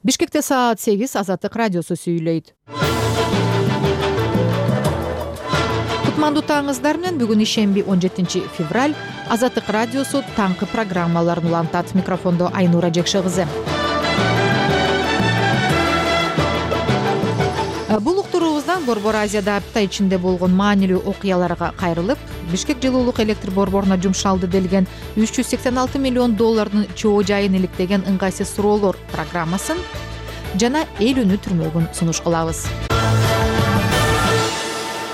Бишкекте саат 8 Азаттык радиосу сүйлөйт. Кутмандуу таңыңыздар менен бүгүн ишемби 17 февраль Азаттык радиосу таңкы программаларын улантат. Микрофондо Айнура Жекше кызы. Бул уктуруубуздан Борбор Азияда апта ичинде болгон маанилүү окуяларга кайрылып, Бишкек жылуулук электр борборуна жумшалды делген $386 миллион чоо жайын иликтеген ыңгайсыз суроолор программасын жана эл үнү түрмөгүн сунуш кылабыз.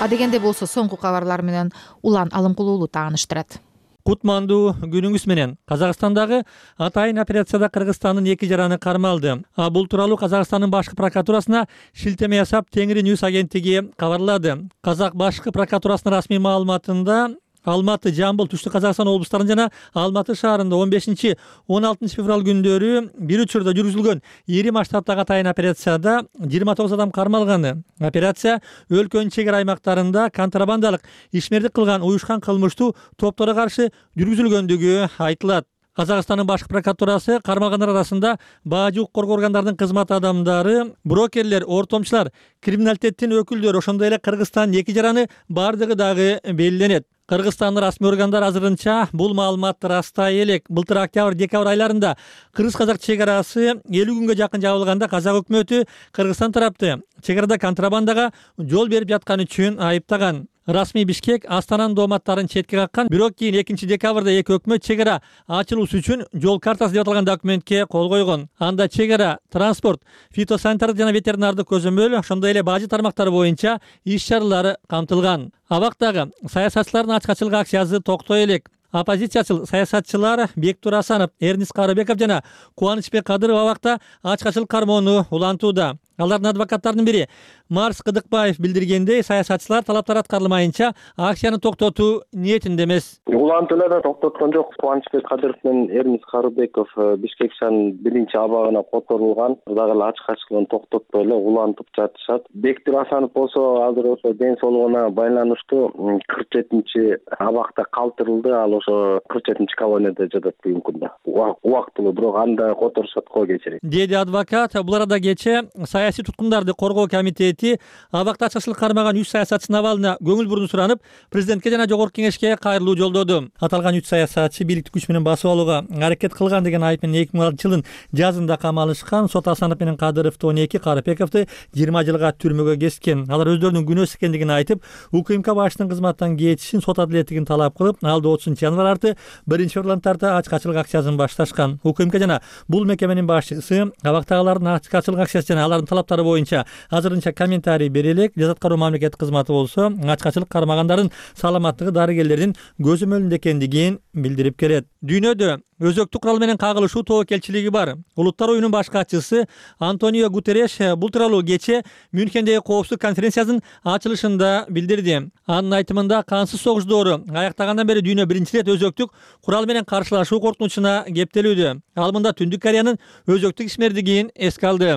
Адегенде болсо соңку кабарлар менен Улан Алымкулуулу тааныштырат. Кутмандуу күнүңүз менен. Казакстандагы атайын операцияда Кыргызстандын 2 жараны кармалды. Бул тууралуу Казакстандын башкы прокуратурасына шилтеме жасап Теңири Ньюс агенттиги кабарлады. Казак башкы прокуратурасынын расмий маалыматында Алматы, Жамбыл, Түштүк Казакстан облустарында жана Алматы шаарында 15-16 февраль күндөрү бир учурда жүргүзүлгөн ири масштабтагы атайын операцияда 29 адам кармалганы. Операция өлкөнүн чек ара аймактарында контрабандалык ишмердик кылган уюшкан кылмыштуу топторго каршы жүргүзүлгөндүгү айтылат. Казакстандын башкы прокуратурасы кармалгандар арасында бажы коргоо органдарынын кызмат адамдары, брокерлер, ортомчулар, криминалитеттин өкүлдөрү, ошондой эле Кыргызстандын 2 жараны бардыгы дагы белгиленет. Кыргызстандын расмий органдар азырынча бул маалыматты растай элек. Былтыр октябрь-декабрь айларында кыргыз-казак чек арасы 50 күнгө жакын жабылганда казак өкмөтү Кыргызстан тарапты чек арада контрабандага жол берип жатканы үчүн айыптаган. Расмий Бишкек Астананын дооматтарын четке каккан, бирок кийин 2 декабрда эки өкмөт чек ара ачылуусу үчүн жол картасы деп аталган документке кол койгон. Анда чек ара, транспорт, фитосанитардык жана ветеринардык көзөмөл, ошондой эле бажы тармактары боюнча иш чаралары камтылган. Абактагы саясатчылардын ачкачылык акциясы токтой элек. Оппозициячыл саясатчылар Бектур Асанов, Эрнис Карыбеков жана Кубанычбек Кадыров абакта ачкачылык кармоону улантууда. Алардын адвокаттарынын бири Марс Кыдыкбаев билдиргендей, саясатчылар талаптар аткарылмайынча акцияны токтотуу ниетинде эмес. Улантууларда токтоткон жок. Кубанычбек Кадыров менен Эрнис Карыбеков Бишкек шаарынын 1-абагына которулган. Дагы эле ачкачылыгын токтотпой эле улантып жатышат. Бектур Асанов болсо азыр ошо ден соолугуна байланыштуу 47-абакта калтырылды. Ал ошо 47-колонияда жатат бүгүнкү күндө. Убактылуу, бирок анда которушат го кечири. Деди адвокат. Бул арада кече саясий туткундарды коргоо комитети абакта ачкачылык кармаган 3 саясатчынын абалына көңүл буруу суранып, президентке жана жогорку кеңешке кайрылуу жолдоду. Аталган 3 саясатчы бийликти күч менен басып алууга аракет кылган деген айып менен 2006 жылдын жазында камалышкан. Сот Асанов менен Кадыровду 12, Карыбековду 20 жылга түрмөгө кескен. Алар өздөрүнүн күнөөсү экендигин айтып, УКМК башчысынын кызматтан кетишин, сот адилеттигин талап кылып, алды 30-январь арты 1-февраль тарта ачкачылык акциясын башташкан. УКМК жана бул мекеменин башчысы абактагылардын ачкачылык акциясы жана алардын талаптары боюнча азырынча комментарий бере элек. Жаза аткаруу мамлекеттик кызматы болсо ачкачылык кармагандардын саламаттыгы дарыгерлердин көзөмөлүндө экендигин билдирип келет. Дүйнөдө өзөктүк курал менен кагылышуу тобокелчилиги бар. Улуттар оюнунун баш катчысы Антонио Гутерреш бул тууралуу кече Мюнхендеги коопсуздук конференциясынын ачылышында билдирди. Анын айтымында кансыз согуш доору аяктагандан бери дүйнө биринчи ирет өзөктүк курал менен каршылашуу коркунучуна кептелүүдө. Ал мында Түндүк Кореянын өзөктүк ишмердигин эске алды.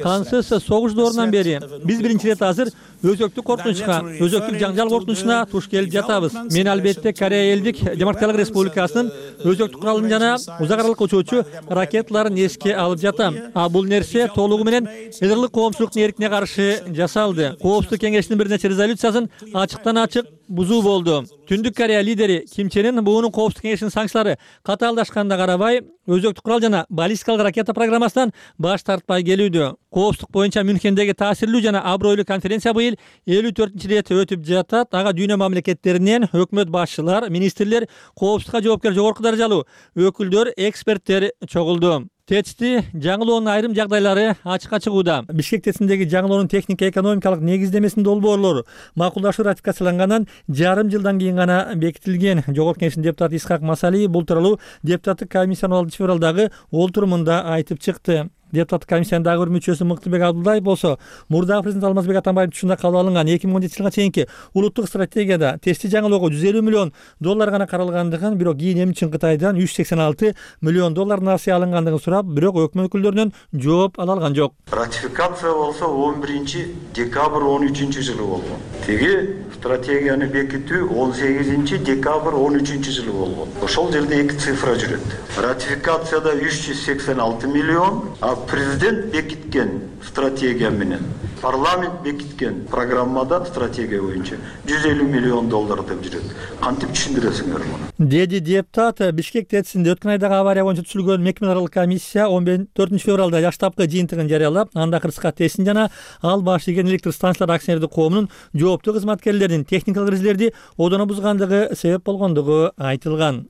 Кансыз согуш доорунан бери биз биринчи ирет азыр өзөктүк коркунучка, өзөктүк жаңжал коркунучуна туш келип жатабыз. Мен албетте Корея Элдик Демократиялык Республикасынын өзөктүк куралын жана узак аралык учуучу ракеталарын эске алып жатам. Бул нерсе толугу менен элдик коомчулуктун эркине каршы жасалды. Коопсуздук кеңешинин бир нече резолюциясын ачыктан ачык бузуу болду. Түндүк Корея лидери Ким Чен Ын буунун коопсуздук кеңешинин санкциялары катаалдашканда карабай, өзөктүк курал жана баллистикалык ракета программасынан баш тартпай келүүдө. Коопсуздук боюнча Мюнхендеги таасирлүү жана абройлуу конференция быйыл 54-чи рет өтүп жатат. Ага дүйнө мамлекеттеринен өкмөт башчылар, министрлер, коопсуздукка жоопкер жогорку даражалуу өкүлдөр, эксперттер чогулду. Течти жаңылоонун айрым жагдайлары ачыкка чыгууда. Бишкек тесиндеги жаңылоонун техника экономикалык негиздемесинин долбоорлору макулдашуу ратификациялангандан жарым жылдан кийин гана бекитилген. Жогорку кеңештин депутаты Исхак Масалиев бул тууралуу депутаттык комиссиянын 6 февралдагы олтурумунда айтып чыкты. Депутаттык комиссиянын дагы бир мүчөсү Мыктыбек Абдулдаев болсо мурдагы президент Алмазбек Атамбаевдин учурунда кабыл алынган 2017 жылга чейинки улуттук стратегияда тестти жаңылоого 150 миллион доллар гана каралгандыгын, бирок кийин эми үчүн Кытайдан 186 миллион доллар насыя алынгандыгын сурап, бирок өкмөт өкүлдөрүнөн жооп ала алган жок. Ратификация болсо 11 декабрь 13 жылы болгон. Теги стратегияны бекитүү 18 декабрь 13 жылы болгон. Ошол жерде 2 цифра жүрөт. Ратификацияда 386 миллион, а президент бекиткен стратегия менен парламент бекиткен программада стратегия боюнча 150 миллион доллар деп жүрөт. Кантип түшүндүрөсүңөр муну? Деди депутат. Бишкек ТЭЦинде өткөн айдагы авария боюнча түзүлгөн мекеме аралык комиссия 14 февралда жаштапкы жыйынтыгын жарыялап, анда Кырска ТЭЦин жана ал баш ийген электр станциялар акционердик коомунун жооптуу кызматкерлеринин техникалык эрежелерди одоно бузгандыгы себеп болгондугу айтылган.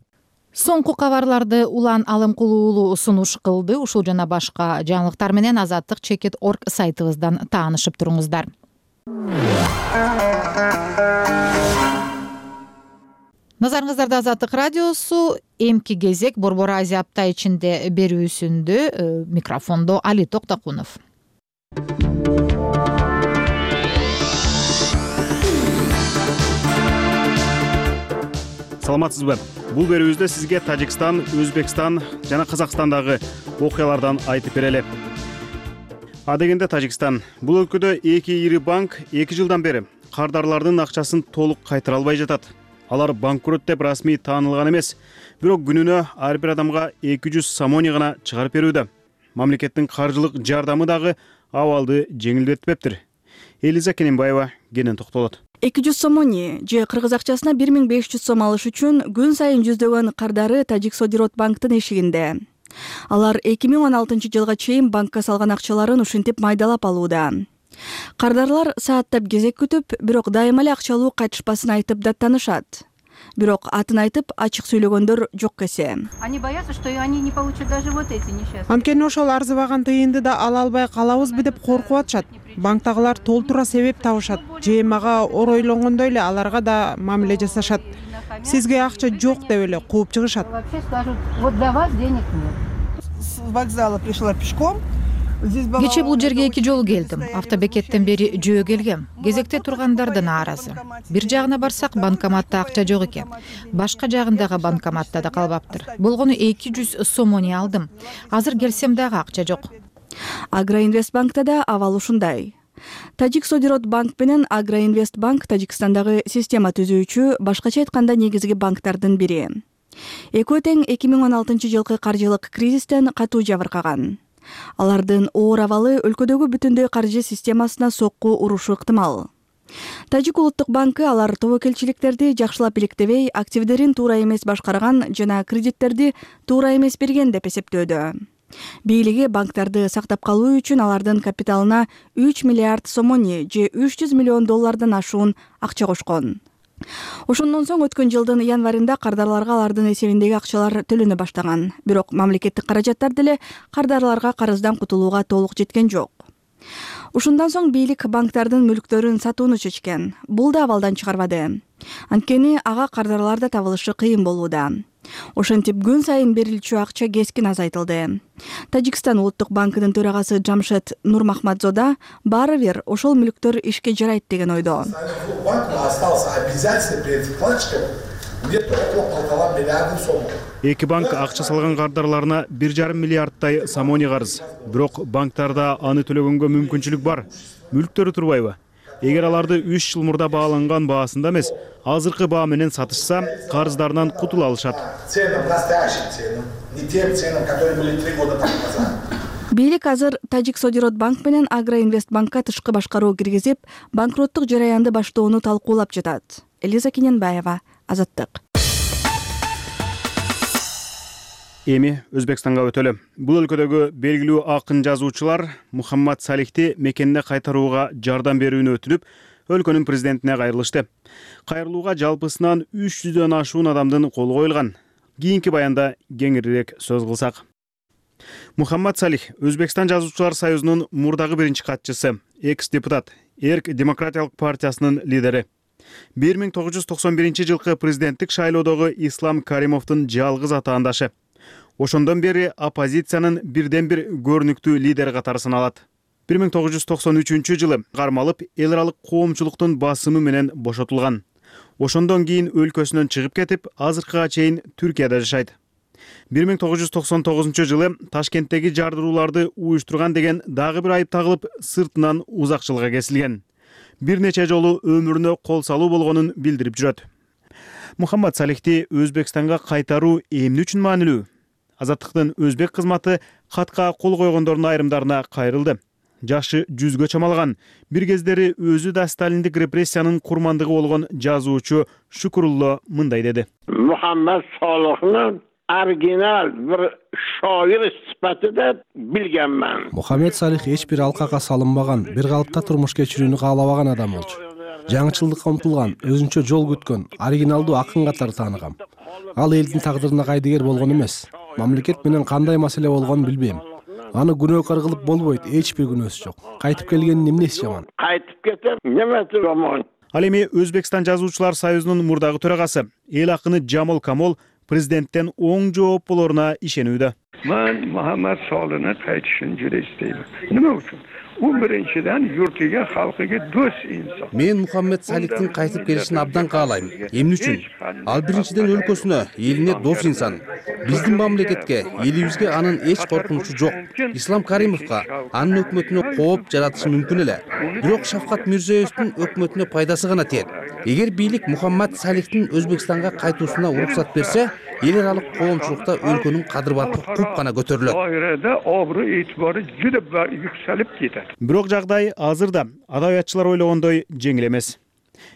Соңку кабарларды Улан Алымкулуулу сунуш кылды. Ушул жана башка жаңылыктар менен Азаттык.org сайтыбыздан таанышып туруңуздар. Назарыңыздарда Азаттык радиосу. Эмки кезек Борбор Азия апта ичинде берүүсүндө. Микрофондо Али Токтокунов. Саламатсызбы? Бул берүүбүздө сизге Тажикстан, Өзбекстан жана Казакстандагы окуялардан айтып берели. Адегенде Тажикстан. Бул өлкөдө эки ири банк 2 жылдан бери кардарлардын акчасын толук кайтара албай жатат. Алар банкрот деп расмий таанылган эмес, бирок күнүнө ар бир адамга 200 самони гана чыгарып берүүдө. Мамлекеттин каржылык жардамы дагы абалды жеңилдетпептир. Элиза Кененбаева кенен токтолот. 200 сомони же кыргыз акчасына 1500 сом алыш үчүн күн сайын жүздөгөн кардары Тажик Содирот банктын эшигинде. Алар 2016 жылга чейин банкка салган акчаларын ушинтип майдалап алууда. Кардарлар сааттап кезек күтүп, бирок дайыма эле акчалуу кайтышпасын айтып даттанышат. Бирок атын айтып ачык сүйлөгөндөр жок эсе. Они боятся, что они не получат даже вот эти несчастные. Анткени ошол арзыбаган тыйынды да ала албай калабызбы деп коркуп атышат. Банктагылар толтура себеп табышат. Же мага оройлонгондой эле аларга да мамиле жасашат. Сизге акча жок деп эле кууп чыгышат. Вообще скажут, вот для вас денег нет. С вокзала пришла пешком. Кече бул жерге 2 жолу келдим. Автобекеттен бери жөө келгем. Кезекте тургандар да нааразы. Бир жагына барсак банкоматта акча жок экен. Башка жагындагы банкоматта да калбаптыр. Болгону 200 сомони алдым. Азыр келсем дагы акча жок. Агроинвестбанкта да абал ушундай. Тажик Содирот банк менен Агроинвестбанк Тажикстандагы система түзүүчү, башкача айтканда негизги банктардын бири. Экөө тең 2016 жылкы каржылык кризистен катуу жабыркаган. Алардын оор абалы өлкөдөгү бүтүндөй каржы системасына сокку урушу ыктымал. Тажик улуттук банкы алар тобокелчиликтерди жакшылап иликтебей, активдерин туура эмес башкарган жана кредиттерди туура эмес берген деп эсептөөдө. Бийлиги банктарды сактап калуу үчүн алардын капиталына 3 миллиард сомони же 300 миллион доллардан ашуун акча кошкон. Ошондон соң өткөн жылдын январында кардарларга алардын эсебиндеги акчалар төлөнө баштаган. Бирок мамлекеттик каражаттар деле кардарларга карыздан кутулууга толук жеткен жок. Ушундан соң бийлик банктардын мүлктөрүн сатууну чечкен. Бул да абалдан чыгарбады. Анткени ага кардарлар да табылышы кыйын болууда. Ошентип күн сайын берилчү акча кескин азайтылды. Тажикстан улуттук банкынын төрагасы Джамшед Нурмахмадзода баары бир ошол мүлктөр ишке жарайт деген ойдо. Эки банк акча салган кардарларына 1,5 миллиардтай самони карыз. Бирок банктарда аны төлөгөнгө мүмкүнчүлүк бар. Мүлктөрү турбайбы? Эгер аларды 3 жыл мурда бааланган баасында эмес, азыркы баа менен сатышса, карыздарынан кутула алышат. Бийлик азыр Тажик Содирот банк менен Агроинвестбанкка тышкы башкаруу киргизип, банкроттук жараянды баштоону талкуулап жатат. Элиза Кененбаева, Азаттык. Эми Өзбекстанга өтөлү. Бул өлкөдөгү белгилүү акын жазуучулар Мухаммад Салихти мекенине кайтарууга жардам берүүнү өтүнүп, өлкөнүн президентине кайрылышты. Кайрылууга жалпысынан 300дөн ашуун адамдын колу коюлган. Кийинки баянда кеңирээк сөз кылсак. Мухаммад Салих Өзбекстан жазуучулар союзунун мурдагы биринчи катчысы, экс-депутат, Эрк демократиялык партиясынын лидери. 1991 жылкы президенттик шайлоодогу Ислам Каримовдун жалгыз атаандашы. Ошондон бери оппозициянын бирден бир көрүнүктүү лидери катары саналат. 1993 жылы кармалып, эл аралык коомчулуктун басымы менен бошотулган. Ошондон кийин өлкөсүнөн чыгып кетип, азыркыга чейин Түркияда жашайт. 1999 жылы Ташкенттеги жардырууларды уюштурган деген дагы бир айып тагылып, сыртынан узак жылга кесилген. Бир нече жолу өмүрүнө кол салуу болгонун билдирип жүрөт. Мухаммад Салихти Өзбекстанга кайтаруу эмне үчүн маанилүү? Азаттыктын өзбек кызматы катка кол койгондордун айрымдарына кайрылды. Жашы 100гө чамалган, бир кездери өзү да сталиндик репрессиянын курмандыгы болгон жазуучу Шукрулло мындай деди. Мухаммад Салихни оригинал бир шоир сипатында билгенмин. Мухаммед Салих эч бир алкага салынбаган, бир калыпта турмуш кечирүүнү каалабаган адам болчу. Жаңычылдыкка умтулган, өзүнчө жол күткөн, оригиналдуу акын катары тааныгам. Ал элдин тагдырына кайдыгер болгон эмес. Мамлекет менен кандай маселе болгонун билбейм. Аны күнөөкөр кылып болбойт, эч бир күнөөсү жок. Кайтып келгенин эмнеси жаман? Кайтып кетем, немети жаман? Ал эми Өзбекстан жазуучулар союзунун мурдагы төрагасы, эл акыны Жамол Камол президенттен оң жооп болоруна ишенүүдө. Мен Мухаммад Салихни кайтышын жure isteyim. Nima uchun? U birinchidan yurtiga, xalqiga do'st inson. Men Мухаммед Салихтин кайтып келишин абдан каалайм. Эмне үчүн? Ал биринчиден өлкөсүнө, элине дос инсан. Биздин мамлекетке, элибизге анын эч коркунучу жок. Ислам Каримовго, анын өкмөтүнө кооп жаратышы мүмкүн эле. Бирок Шавкат Мирзиёевдин өкмөтүнө пайдасы гана тиет. Эгер бийлик Мухаммад Салихтин Өзбекстанга кайтуусуна уруксат берсе, эл аралык коомчулукта өлкөнүн кадыр-баты куп гана көтөрүлөт. Dairede obro itibarı juda yükselip ketadi. Бирок жагдай азырда адабиятчылар ойлогондой жеңил эмес.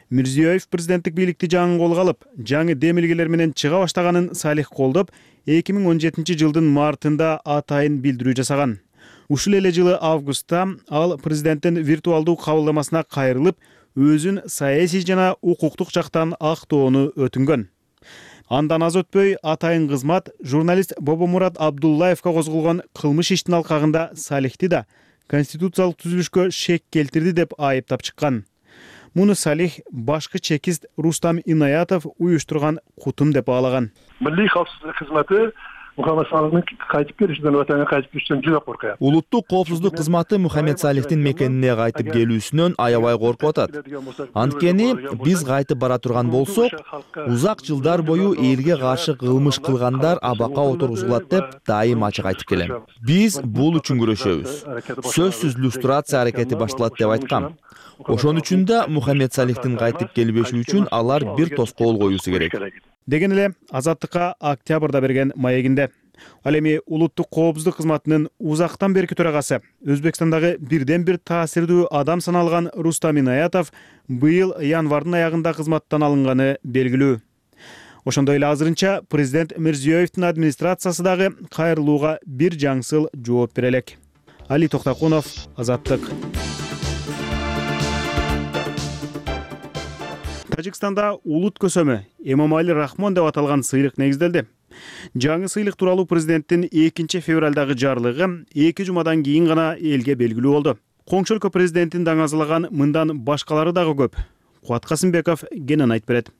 Мирзиёев президенттик бийликти жаңы колго алып, жаңы демилгелер менен чыга баштаганын Салих колдоп, 2017 жылдын мартында атайын билдирүү жасаган. Ушул эле жылы августта ал президенттин виртуалдуу кабылдамасына кайрылып, өзүн саясий жана укуктук жактан актоону өтүнгөн. Андан аз өтпөй атайын кызмат журналист Бобомурат Абдуллаевга козголгон кылмыш иштин алкагында Салихти да конституциялык түзүлүшкө шек келтирди деп айыптап чыккан. Муну Салих башкы чекист Рустам Инаятов уюштурган кутум деп баалаган. Милли коопсуздук кызматы Мухаммад Салихтин кайтып келишинен, ватанга кайтып келишинен жүзө коркуят. Улуттук коопсуздук кызматы Мухаммед Салихтин мекенине кайтып келүүсүнөн аябай коркуп атат. Анткени биз кайтып бара турган болсок, узак жылдар бою элге каршы кылмыш кылгандар абакка отургузулат деп дайым ачык айтып келем. Биз бул үчүн күрөшөбүз. Сөзсүз люстрация аракети башталат деп айткам. Ошон үчүн да Мухаммед Салихтин кайтып келбеши үчүн алар бир тоскоол коюусу керек. Деген эле Азаттыкка октябрда берген маегинде. Ал эми улуттук коопсуздук кызматынын узактан берки төрагасы, Өзбекстандагы бирден бир таасирдүү адам саналган Рустам Инаятов быйыл январдын аягында кызматтан алынганы белгилүү. Ошондой эле азырынча президент Мирзиёевдин администрациясы дагы кайрылууга бир жаңсыл жооп бере элек. Али Токтакунов, Азаттык. Тажикстанда улут көсөмү Эмомали Рахмон деп аталган сыйлык негизделди. Жаңы сыйлык тууралуу президенттин 2 февралдагы жарлыгы 2 жумадан кийин гана элге белгилүү болду. Коңшу өлкө президентин даңазалаган мындан башкалары дагы көп. Кубат Касымбеков кенен айтып берет.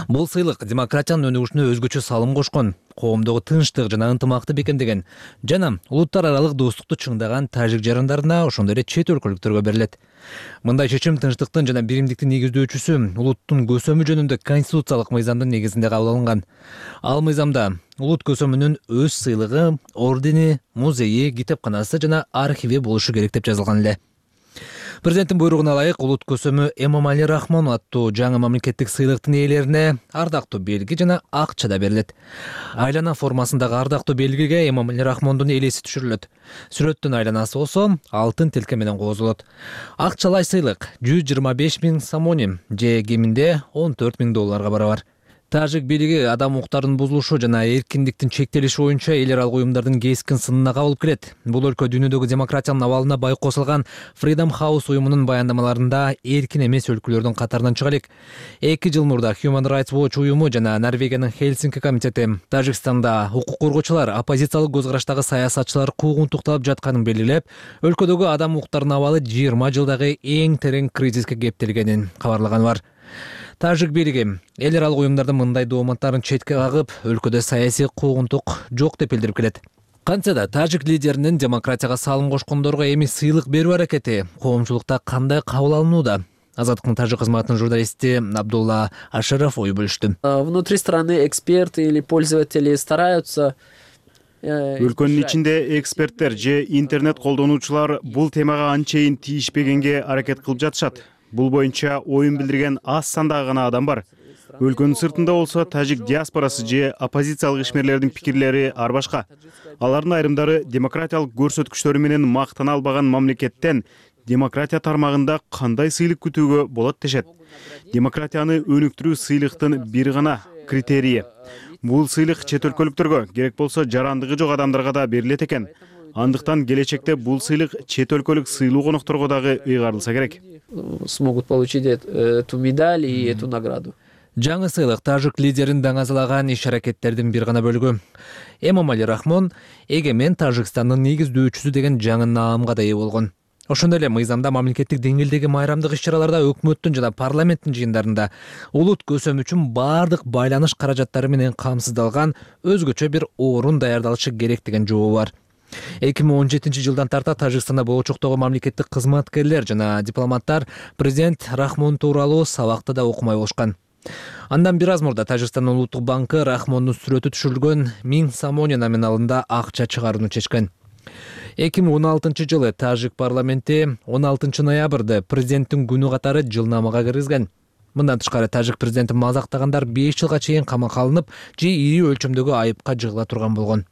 Бул сыйлык демократиянын өнүгүшүнө өзгөчө салым кошкон, коомдогу тынчтык жана ынтымакты бекемдеген жана улуттар аралык достукту чыңдаган тажик жарандарына, ошондой эле чет өлкөлүктөргө берилет. Мындай чечим тынчтыктын жана биримдиктин негиздөөчүсү улуттун көсөмү жөнүндө конституциялык мыйзамдын негизинде кабыл алынган. Ал мыйзамда улут көсөмүнүн өз сыйлыгы, ордени, музейи, китепканасы жана архиви болушу керек деп жазылган эле. Президенттин буйругуна ылайык улут көсөмү Эмомали Рахмон аттуу жаңы мамлекеттик сыйлыктын ээлерине ардактуу белги жана акча да берилет. Айлана формасындагы ардактуу белгиге Эмомали Рахмондун элеси түшүрүлөт. Сүрөттүн айланасы болсо алтын тилке менен козулот. Акчалай сыйлык 125 000 самоним же кеминде $14,000 барабар. Тажик бийлиги адам укуктарынын бузулушу жана эркиндиктин чектелиши боюнча эл аралык уюмдардын кескин сынына кабылып келет. Бул өлкө дүйнөдөгү демократиянын абалына бай косулган Freedom House уюмунун баяндамаларында эркин эмес өлкөлөрдүн катарынан чыга элек. 2 жыл мурда Human Rights Watch уюму жана Норвегиянын Хельсинки комитети Тажикстанда укук коргоочулар, оппозициялык көз караштагы саясатчылар куугун тукталып жатканын белгилеп, өлкөдөгү адам укуктарынын абалы 20 жылдагы эң терең кризиске кептелгенин кабарлаганы бар. Тажик бийлиги эл аралык уюмдардын мындай дооматтарын четке кагып, өлкөдө саясий куугунтук жок деп билдирип келет. Кантсе да тажик лидеринин демократияга салым кошкондорго эми сыйлык берүү аракети коомчулукта кандай кабыл алынууда? Азаттыктын тажик кызматынын журналисти Абдулла Ашаров ой бөлүштү. Внутри страны эксперты или пользователи стараются. Өлкөнүн ичинде эксперттер же интернет колдонуучулар бул темага анчейин тийишпегенге аракет кылып жатышат. Бул боюнча оюн билдирген аз сандагы гана адам бар. Өлкөнүн сыртында болсо тажик диаспорасы же оппозициялык ишмерлердин пикирлери ар башка. Алардын айрымдары демократиялык көрсөткүчтөрү менен мактана албаган мамлекеттен демократия тармагында кандай сыйлык күтүүгө болот дешет. Демократияны өнүктүрүү сыйлыктын бир гана критерийи. Бул сыйлык чет өлкөлүктөргө, керек болсо жарандыгы жок адамдарга да берилет экен. Андыктан келечекте бул сыйлык чет өлкөлүк сыйлуу конокторго дагы ыйгарылса керек. Смогут получить эту медаль и эту награду. Жаңы сыйлык тажик лидерин даңазалаган иш-аракеттердин бир гана бөлүгү. Эмомали Рахмон эгемен Тажикстандын негиздөөчүсү деген жаңы наамга да ээ болгон. Ошондой эле мыйзамда мамлекеттик деңгээлдеги майрамдык иш-чараларда өкмөттүн жана парламенттин жыйындарында улут көсөм үчүн бардык байланыш каражаттары менен камсыздалган өзгөчө бир орун даярдалышы керек деген жообу бар. 2017-жылдан тарта Тажикстанда болочоктогу мамлекеттик кызматкерлер жана дипломаттар президент Рахмон тууралуу сабакта да окумай болушкан. Андан бир аз мурда Тажикстандын улуттук банкы Рахмондун сүрөтү түшүрүлгөн 1000 самоня номиналында акча чыгарууну чечкен. 2016-жылы Тажик парламенти 16 ноябрда президенттин күнү катары жылнамага киргизген. Мындан тышкары тажик президенти мазактагандар 5 жылга чейин камакка алынып, же ири өлчөмдөгү айыпка жыгыла турган болгон.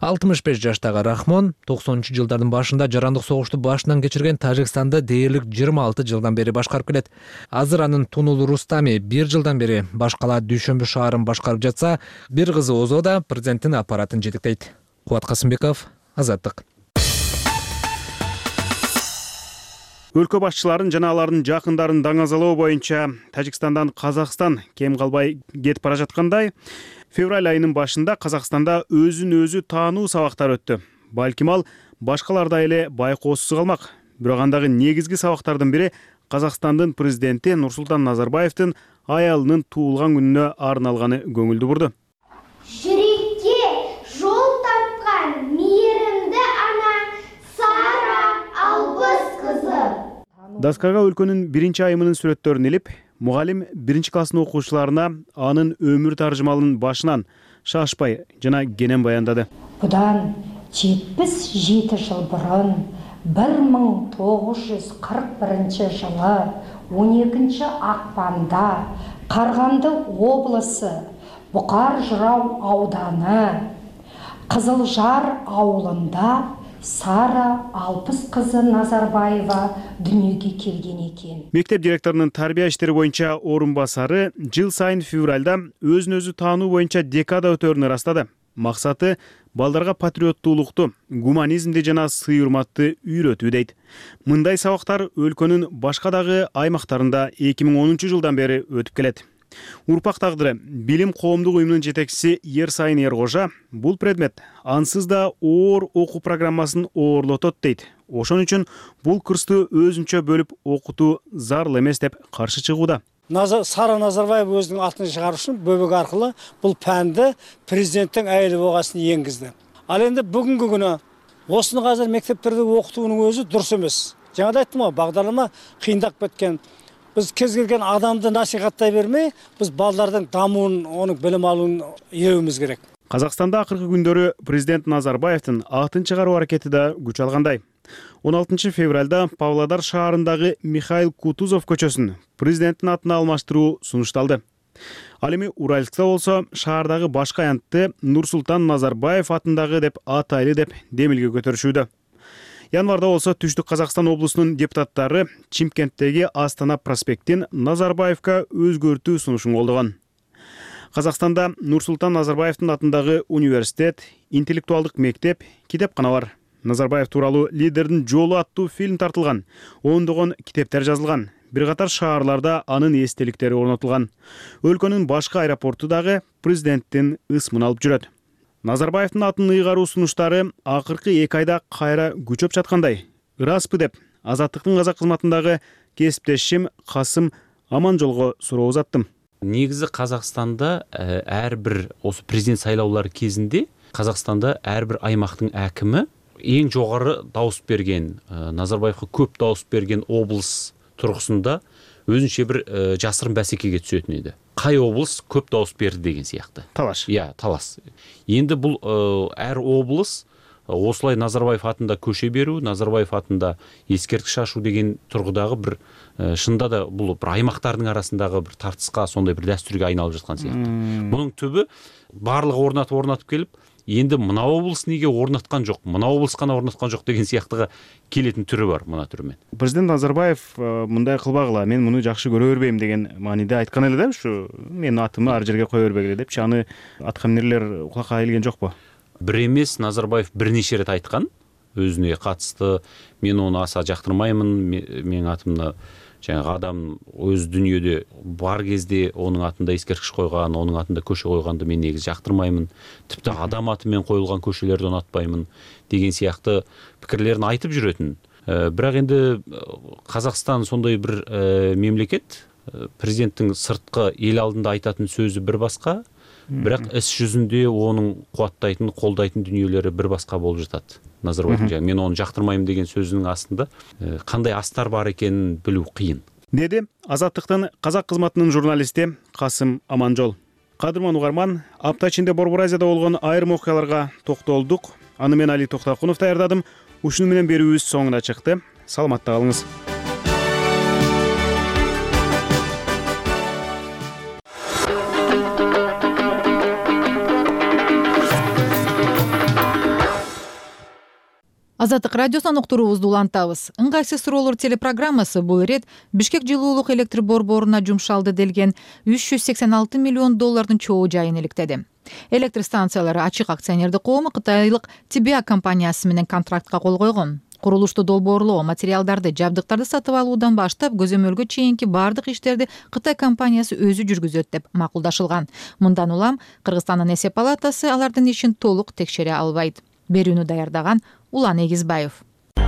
65 жаштагы Рахмон 90-жылдардын башында жарандык согушту башынан кечирген Тажикстанды дээрлик 26 жылдан бери башкарып келет. Азыр анын Тунул Рустами 1 жылдан бери баш кала Дүйшөмбү шаарын башкарып жатса, бир кызы Озо да президенттин аппаратын жетектейт. Кубат Касымбеков, Азаттык. Өлкө башчыларын жана алардын жакындарын даңазалоо боюнча Тажикстандан Казакстан кем калбай кетип бара жаткандай, февраль айынын башында Казакстанда өзүн өзү таануу сабактары өттү. Балким ал башкаларда эле байкоосуз калмак. Бирок андагы негизги сабактардын бири Казакстандын президенти Нурсултан Назарбаевдин аялынын туулган күнүнө арналганы көңүлдү бурду. Жүрекке жол тапкан мейирімді ана Сара Албыс кызы. Даскага өлкөнүн биринчи айымынын сүрөттөрүн илип, мугалим биринчи класстын окуучуларына анын өмүр таржымалынын башынан шашпай жана кенен баяндады. Будан 77 жыл бурун 1941 жылы 12 акпанда Карганды облысы Букар Жырау ауданы Кызылжар ауылында Сара Алпыс кызы Назарбаева дүнүйгө келген экен. Мектеп директорунун тарбия иштери боюнча орун басары жыл сайын февралда өзүн өзү таануу боюнча декада өтөөрүн ырастады. Максаты балдарга патриоттуулукту, гуманизмди жана сый-урматты үйрөтүү дейт. Мындай сабактар өлкөнүн башка дагы аймактарында 2010 жылдан бери өтүп келет. Урпак тагдыры билим коомдук уюмунун жетекчиси Ерсайын Эркожа бул предмет ансыз да оор окуу программасын оорлотот дейт. Ошон үчүн бул курсту өзүнчө бөлүп окутуу зарыл эмес деп каршы чыгууда. Сара Назарбаев өзүнүн атын чыгарыш үчүн бөбөк аркылуу бул пәнди президенттин айыл богасына энгизди. Ал энди бүгүнкү күнү осуну азыр мектептерде окутуунун өзү дурус эмес. Жаңа да айттым го, багдарлама кыйындап кеткен. Biz kez kelgen adamды насихаттай бермей, biz балдардын дамуун, онун билим алуун ийрөбүбүз керек. Казакстанда акыркы күндөрү президент Назарбаевдин атын чыгаруу аракети да күч алгандай. 16 февралда Павлодар шаарындагы Михаил Кутузов көчөсүн президенттин атына алмаштыруу сунушталды. Ал эми Уральскта болсо шаардагы башкы аянтты Нурсултан Назарбаев атындагы деп атайлы деп демилге көтөрүшүүдө. Январда болсо Түштүк Казакстан облусунун депутаттары Чимкенттеги Астана проспектин Назарбаевка өзгөртүү сунушун колдогон. Казакстанда Нурсултан Назарбаевдин атындагы университет, интеллектуалдык мектеп, китепкана бар. Назарбаев тууралуу лидердин жолу аттуу фильм тартылган, ондогон китептер жазылган. Бир катар шаарларда анын эстеликтери орнотулган. Өлкөнүн башкы аэропорту дагы президенттин ысмын алып жүрөт. Назарбаевдин атын ыйгаруу сунуштары акыркы 2 айда кайра күчөп жаткандай. Ыраспы деп Азаттыктын казак кызматындагы кесиптешим Касым Аманжолго суроо узаттым. Негизи Казакстанда ар бир осы президент сайлоолору кезинде Казакстанда ар бир аймактын акими эң жогору дауыс берген, Назарбаевга көп дауыс берген облус тургусунда өзүнчө бир жасырын бәсекеге түсөтүн эди. Кай облус көп дауыс берди деген сыяктуу. Талаш. Талас. Энди бул ар облус осылай Назарбаев атында көшө берүү, Назарбаев атында эскерткич ачуу деген тургудагы бир шында да бул бир аймактардын арасындагы бир тартыска, сондай бир дастүргө айналып жаткан сыяктуу. Мунун түбү барлыгы орнатып келип, енді мына облыс неге орнаткан жок, мына облыс гана орнаткан жок деген сыяктыга келетін түрі бар мына түрімен. Президент Назарбаев мындай кылбагыла, мен муну жакшы көрө бербейм деген мааниде айткан эле да, ушу менин атымы ар жерге кое бербегиле депчи. Аны аткан эмнелер кулакка келген жокпу? Бир эмес, Назарбаев бир нече рет айткан өзүнө катысты. Мен ону аса жактырмаймын, менин атымда жаңағы адам өз дүниеде бар кезде оның атында ескерткіш қойған, оның атында көше қойғанды мен негізі жақтырмаймын. Тіпті адам атымен қойылған көшелерді ұнатпаймын деген сияқты пікірлерін айтып жүретін. Бірақ енді Қазақстан сондай бір мемлекет, президенттің сыртқы ел алдында айтатын сөзі бір басқа, бірақ іс жүзінде оның қуаттайтын, қолдайтын дүниелері бір басқа болып жатады. Назарбаевтың мен оны жақтырмаймын деген сөзінің астында қандай астар бар екенін білу қиын. Деді Азаттықтың қазақ қызматының журналисти Касым Аманжол. Кадырман угарман, апта ичинде Борбор Азияда болгон айрым окуяларга токтолдук. Аны мен Али Токтакунов даярдадым. Ушуну менен берүүбүз соңуна чыкты. Саламатта калыңыз. Азаттык радиосунан уктуруубузду улантабыз. Ыңгайсыз суроолор телепрограммасы бул ирет Бишкек жылуулук электр борборуна жумшалды делген 386 миллион доллардын чогуу жайын иликтеди. Электр станциялары ачык акционердик коому кытайлык Тибиа компаниясы менен контрактка кол койгон. Курулушту долбоорлоо, материалдарды, жабдыктарды сатып алуудан баштап көзөмөлгө чейинки бардык иштерди Кытай компаниясы өзү жүргүзөт деп макулдашылган. Мындан улам Кыргызстандын эсеп палатасы алардын ишин толук текшере албайт. Берүүнү даярдаган Улан Эгизбаев.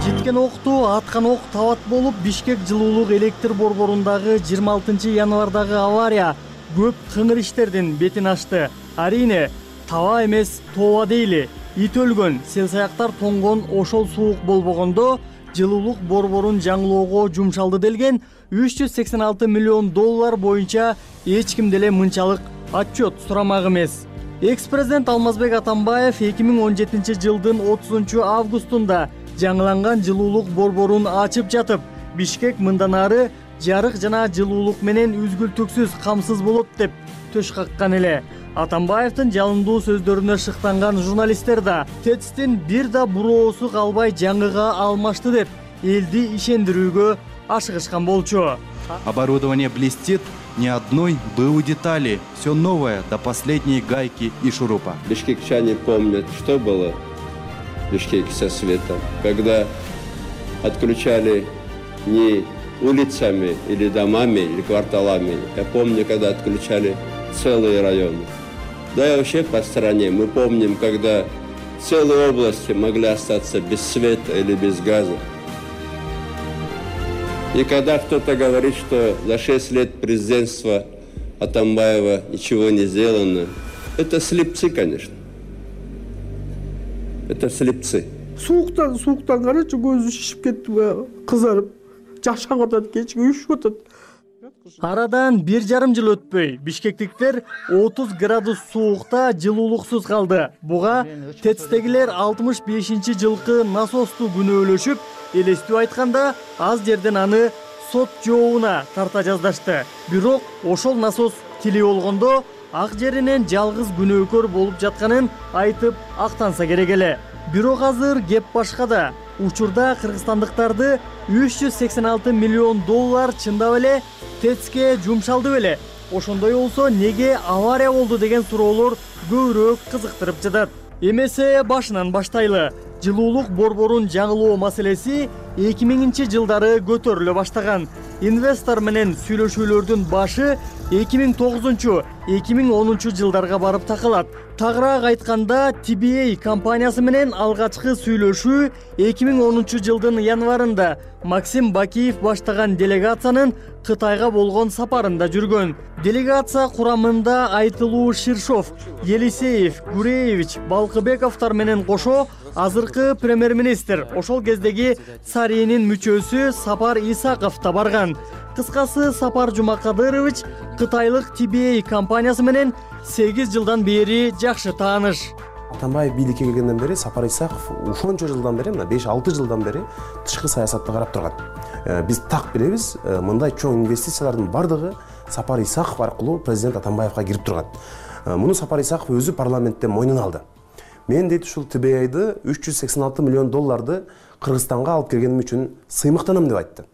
Жеткен окту аткан ок табат болуп, Бишкек жылуулук электр борборундагы 26 январдагы авария көп кыңыр иштердин бетин ачты. Арине, таба эмес, тооба дейли. Ит өлгөн, сел-саяктар тоңгон ошол суук болбогондо жылуулук борборун жаңылоого жумшалды делген 386 миллион доллар боюнча эч ким деле мынчалык отчет сурамак эмес. Экс-президент Алмазбек Атамбаев 2017 жылдын 30 августунда жаңыланган жылуулук борборун ачып жатып, Бишкек мындан ары жарык жана жылуулук менен үзгүлтүксүз камсыз болот деп төш каккан эле. Атамбаевдин жалындуу сөздөрүнө шыктанган журналисттер да ТЭЦтин бир да буроосу калбай жаңыга алмашты деп элди ишендирүүгө ашыгышкан болчу. Оборудование блестит, ни одной БУ детали, все новое до последней гайки и шурупа. Бишкекчане помнят, что было в Бишкеке со светом, когда отключали не улицами или домами или кварталами. Я помню, когда отключали целые районы. Да и вообще по стране мы помним, когда целые области могли остаться без света или без газа. И когда кто-то говорит, что за 6 лет президентства Атамбаева ничего не сделано, это слепцы, конечно. Это слепцы. Сууктан карачы көзү шишип кетти, кызарып, жашак атат, кечке үшүп атат. Арадан 1,5 жыл өтпөй, бишкектиктер 30 градус суукта жылуулуксуз калды. Буга ТЭЦтегилер 65-жылкы насосту күнөөлөшүп, элестүү айтканда аз жерден аны сот жообуна тарта жаздашты. Бирок ошол насос тили болгондо ак жеринен жалгыз күнөөкөр болуп жатканын айтып актанса керек эле. Бирок азыр кеп башкада. Учурда кыргызстандыктарды 386 миллион доллар чындап эле ТЭЦке жумшалды беле. Ошондой болсо неге авария болду деген суроолор көбүрөөк кызыктырып жатат. Эмесе башынан баштайлы. Жылуулук борборун жаңылоо маселеси 2000-жылдары көтөрүлө баштаган. Инвестор менен сүйлөшүүлөрдүн башы 2009-2010 жылдарга барып такалат. Тагыраак айтканда, TBA компаниясы менен алгачкы сүйлөшүү 2010 жылдын январында Максим Бакиев баштаган делегациянын Кытайга болгон сапарында жүргөн. Делегация курамында Айтылуу Ширшов, Елисеев, Гуреевич, Балкыбековдор менен кошо азыркы премьер-министр, ошол кездеги Царинин мүчөсү Сапар Исаков да барган. Кыскасы, Сапар Жумакадырович кытайлык TBA компаниясы менен 8 жылдан бери жакшы тааныш. Атамбаев бийликке келгенден бери Сапар Исаков ушончо жылдан бери, мына 5-6 жылдан бери тышкы саясатты карап турган. Биз так билебиз, мындай чоң инвестициялардын бардыгы Сапар Исаков аркылуу президент Атамбаевга кирип турган. Муну Сапар Исаков өзү парламентте мойнуна алды. Мен дейт ушул TBA-ды 386 миллион долларды Кыргызстанга алып келгеним үчүн сыймыктанам деп айтты.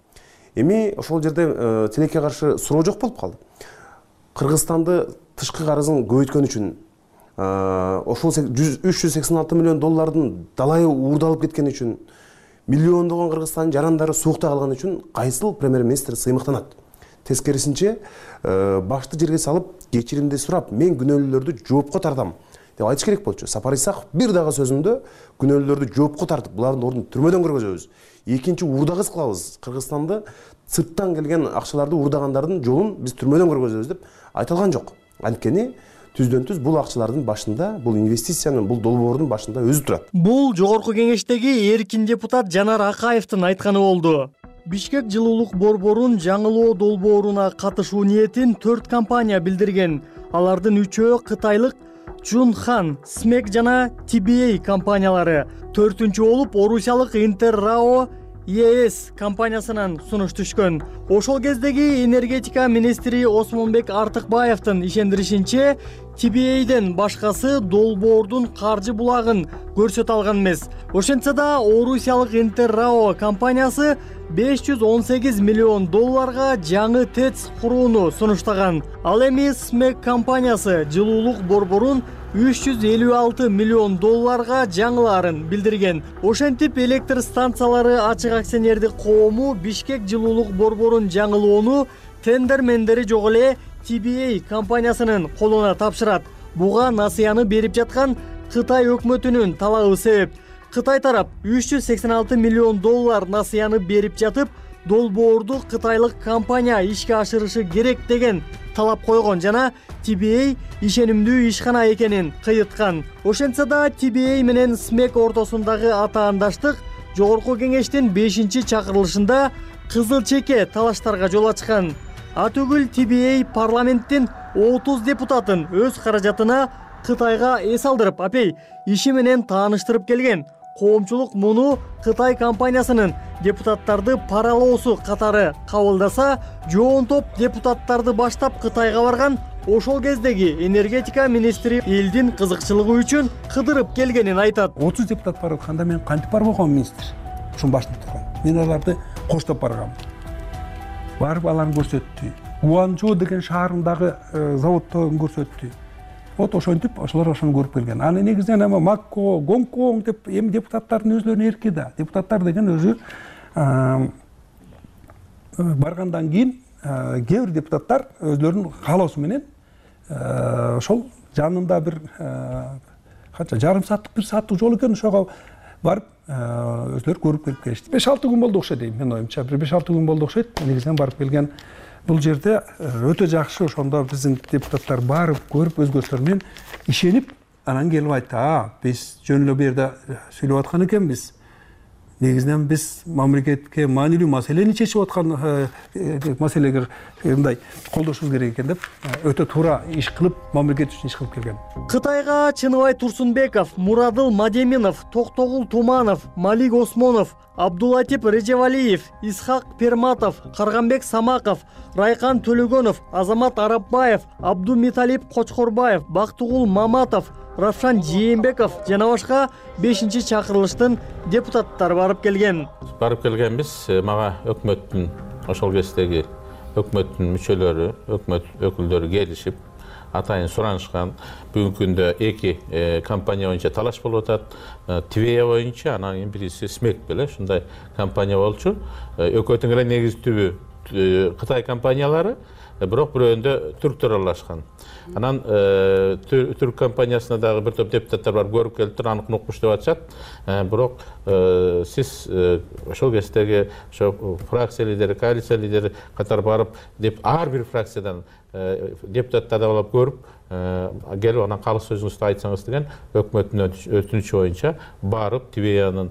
Эми ошол жерде тилекке каршы суроо жок болуп калды. Кыргызстанды тышкы карызын көбөйткөн үчүн ошол 386 миллион доллардын далайы уурдалып кеткен үчүн, миллиондогон Кыргызстандын жарандары суукта калган үчүн кайсыл премьер-министр сыймыктанат? Тескерисинче башты жерге салып, кечиримди сурап, мен күнөөлүүлөрдү жоопко тартам деп айтыш керек болчу. Сапар Исаков бир дагы сөзүндө күнөөлүүлөрдү жоопко тартып, булардын ордун түрмөдөн кыргызабыз. Экинчи уурдагыс кылабыз. Кыргызстанды сырттан келген акчаларды уурдагандардын жолун биз түрмөдөн кыргызабыз деп айтылган жок. Анткени түздөн түз бул акчалардын башында, бул инвестициянын, бул долбоордун башында өзү турат. Бул жогорку кеңештеги эркин депутат Жанар Акаевдин айтканы болду. Бишкек жылуулук борборун жаңылоо долбооруна катышуу ниетин 4 компания билдирген. Алардын 3-өө кытайлык Junhan, Смек жана TBA компаниялары. 4-үнчү болуп Орусиялык Интеррао ЕС компаниясынан сунуш түшкөн. Ошол кездеги энергетика министри Осмонбек Артыкбаевдин ишендиришинче, TBA-ден башкасы долбоордун каржы булагын көрсөтө алган эмес. Ошентсе да Орусиялык Интеррао компаниясы 518 миллион долларга жаңы ТЭЦ курууну сунуштаган. Ал эми Смек компаниясы жылуулук борборун 356 миллион долларга жаңылаарын билдирген. Ошентип электр станциялары ачык акционердик коому Бишкек жылуулук борборун жаңылоону тендермендери жок эле TBA компаниясынын колуна тапшырат. Буга насыяны берип жаткан Кытай өкмөтүнүн талабы себеп. Кытай тарап 386 миллион доллар насыяны берип жатып, долбоорду кытайлык компания ишке ашырышы керек деген талап койгон жана TBA ишенимдүү ишкана экенин кыйыткан. Ошентсе да TBA менен Смек ортосундагы атаандаштык жогорку кеңештин 5-чакырылышында кызыл чеке талаштарга жол ачкан. Атөгүл TBA парламенттин 30 депутатын өз каражатына Кытайга эс алдырып, апей, иши менен тааныштырып келген. Коомчулук муну Кытай компаниясынын депутаттарды паралоосу катары кабылдаса, жоон топ депутаттарды баштап Кытайга барган. Ошол кездеги энергетика министри элдин кызыкчылыгы үчүн кыдырып келгенин айтат. 30 депутат барып атканда мен кантип барбай койгом министр? Ушунун башында турган. Мен аларды коштоп баргам. Барып аларды көрсөттү. Гуанчжоу деген шаарындагы заводдон көрсөттү. Вот ошентип ошолор ошону көрүп келген. Аны негизинен эми Макко, Гонконг деп эми депутаттардын өзлөрүнүн эрки да. Депутаттар деген өзү баргандан кийин кээ бир депутаттар өзлөрүнүн каалоосу менен ошол жанында бир канча жарым сааттык, 1 сааттык жол экен, ошого барып өзлөрү көрүп келип келишти. 5-6 күн болду окшойт дейм, мен оюмча. 1-5-6 күн болду окшойт. Негизинен барып келген. Бул жерде өтө жакшы, ошондо биздин депутаттар барып көрүп өзгөчөлөр менен ишенип, анан келип айтты: биз жөн эле бу жерде сүйлөп аткан экенбиз. Негизинен биз мамлекетке маанилүү маселени чечип аткан маселеге мындай колдошубуз керек экен деп өтө туура иш кылып, мамлекет үчүн иш кылып келген. Кытайга Чыныбай Турсунбеков, Мурадыл Мадеминов, Токтогул Туманов, Малик Осмонов, Абдулатип Режевалиев, Исхак Перматов, Карганбек Самаков, Райкан Төлөгөнов, Азамат Арапбаев, Абдумиталип Кочкорбаев, Бактыгул Маматов, Равшан Жээнбеков жана башка 5-чакырылыштын депутаттары барып келген. Барып келгенбиз, мага өкмөттүн, ошол кездеги өкмөттүн мүчөлөрү, өкмөт өкүлдөрү келишип, атайын суранышкан. Бүгүнкү күндө 2 компания боюнча талаш болуп атат. TBA боюнча, анан кийин бириси Смек беле ушундай компания болчу. Экөөтүн эле негизи түбү Кытай компаниялары, бирок бирөөндө түрктөр аралашкан. Анан түрк компаниясына дагы бир топ депутаттар бар, көрүп келиптир, анык укмуш деп атышат. Бирок сиз ошол кездеги ошо фракция лидери, коалиция лидери катары барып, ар бир фракциядан депутаттарды алып көрүп, келип анан калыс сөзүңүздү айтсаңыз деген өкмөттүн өтүнүчү боюнча барып Тивеянын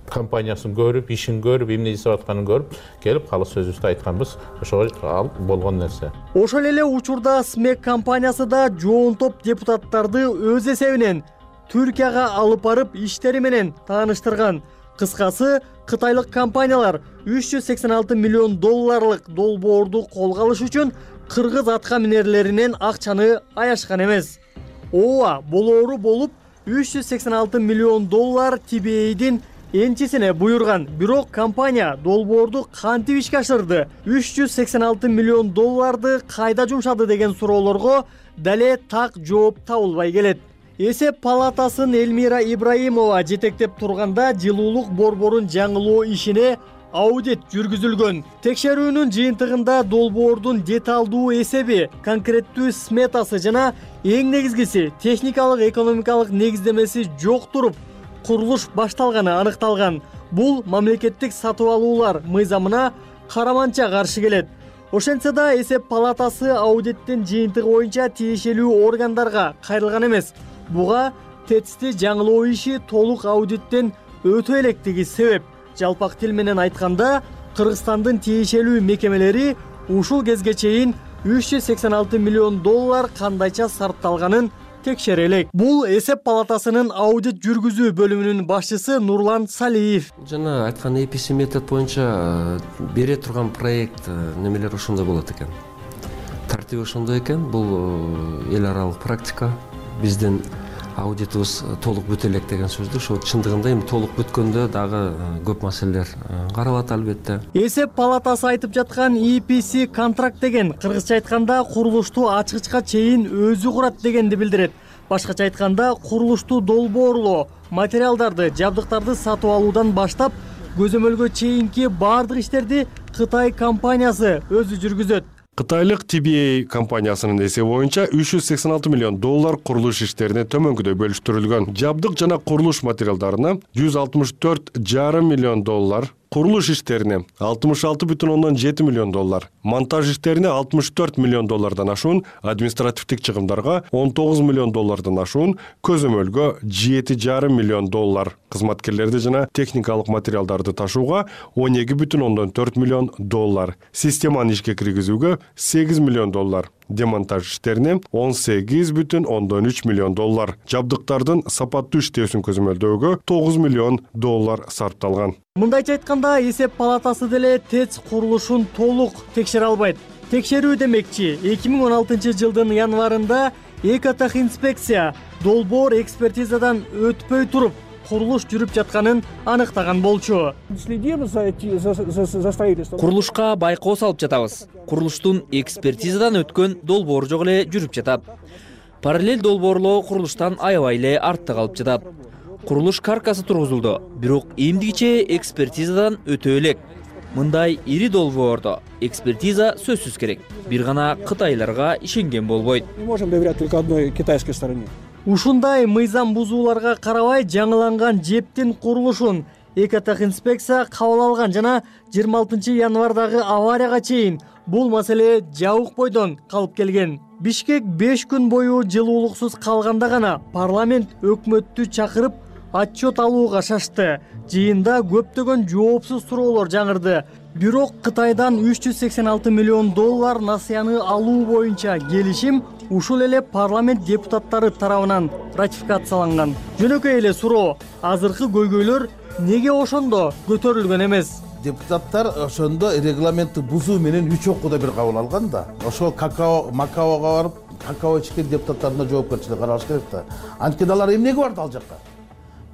компаниясын көрүп, ишин көрүп, эмне жасап атканын көрүп, келип калыс сөзүбүздү айтканбыз. Ошого ал болгон нерсе. Ошол эле учурда СМЕК компаниясы да жоон топ депутаттарды өз эсебинен Түркияга алып барып иштери менен тааныштырган. Кыскасы, кытайлык компаниялар 386 миллион долларлык долбоорду колго алыш үчүн кыргыз атка минерлеринен акчаны аяшкан эмес. Ооба, болоору болуп 386 миллион доллар TBA'дин энчисине буйрган. Бирок компания долбоорду кантип ишке ашырды? 386 миллион долларды кайда жумшады деген суроолорго дале так жооп табылбай келет. Эсеп палатасын Элмира Ибраимова жетектеп турганда жылуулук борборун жаңылоо ишине аудит жүргүзүлгөн. Текшерүүнүн жыйынтыгында долбоордун деталдуу эсеби, конкреттүү сметасы жана эң негизгиси техникалык экономикалык негиздемеси жок туруп, курулуш башталганы аныкталган. Бул мамлекеттик сатып алуулар мыйзамына караманча каршы келет. Ошентсе да эсеп палатасы аудиттин жыйынтыгы боюнча тиешелүү органдарга кайрылган эмес. Буга ТЭЦти жаңылоо иши толук аудиттен өтө электиги себеп. Жалпак тил менен айтканда, Кыргызстандын тиешелүү мекемелери ушул кезге чейин 386 миллион доллар кандайча сарпталганын текшере элек. Бул эсеп палатасынын аудит жүргүзүү бөлүмүнүн башчысы Нурлан Салиев. Жана айткан EPC метод боюнча бере турган проект немелер ошондой болот экен. Тартиби ошондой экен. Бул эл аралык практика. Биздин аудитибиз толук бүтө элек деген сөздү. Ошо чындыгында эми толук бүткөндө дагы көп маселелер каралат албетте. Эсеп палатасы айтып жаткан EPC контракт деген кыргызча айтканда курулушту ачкычка чейин өзү курат дегенди билдирет. Башкача айтканда курулушту долбоорлоо, материалдарды, жабдыктарды сатып алуудан баштап көзөмөлгө чейинки баардык иштерди Кытай компаниясы өзү жүргүзөт. Кытайлык TBA компаниясынын эсеби боюнча 386 миллион доллар курулуш иштерине төмөнкүдөй бөлүштүрүлгөн. Жабдык жана курулуш материалдарына 164,5 миллион доллар, курулуш иштерине 66,7 миллион доллар, монтаж иштерине 64 миллион доллардан ашуун, административдик чыгымдарга 19 миллион доллардан ашуун, көзөмөлгө 7,5 миллион доллар, кызматкерлерди жана техникалык материалдарды ташууга 12,4 миллион доллар, системаны ишке киргизүүгө 8 миллион доллар, демонтаж иштерине 18,3 миллион доллар, жабдыктардын сапаттуу иштөөсүн көзөмөлдөөгө 9 миллион доллар сарпталган. Мындайча айтканда, эсеп палатасы деле ТЭЦ курулушун толук текшере албайт. Текшерүү демекчи, 2016 жылдын январында Экотехинспекция долбоор экспертизадан өтпөй туруп, курулуш жүрүп жатканын аныктаган болчу. Курулушка байкоо салып жатабыз. Курулуштун экспертизадан өткөн долбоор жок эле жүрүп жатат. Параллель долбоорлоо курулуштан аябай эле артта калып жатат. Курулуш каркасы тургузулду, бирок эмдигиче экспертизадан өтө элек. Мындай ири долбоордо экспертиза сөзсүз керек. Бир гана кытайларга ишенген болбойт. Мы можем доверять только одной китайской стороне. Ушундай мыйзам бузууларга карабай жаңыланган жептин курулушун Экотехинспекция кабыл алган жана 26 январдагы аварияга чейин бул маселе жабык бойдон калып келген. Бишкек 5 күн бою жылуулуксуз калганда гана парламент өкмөттү чакырып отчет алууга шашты. Жыйында көптөгөн жоопсуз суроолор жаңырды. Бирок Кытайдан 386 миллион доллар насыяны алуу боюнча келишим ушул эле парламент депутаттары тарабынан ратификацияланган. Жөнөкөй эле суроо, азыркы көйгөйлөр неге ошондо көтөрүлгөн эмес? Депутаттар ошондо регламентти бузуу менен 3 окууда бир кабыл алган да. Ошол Макаога барып, какао ичкен депутаттардын жоопкерчилиги каралыш керек да. Анткени алар эмнеге барды ал жакка?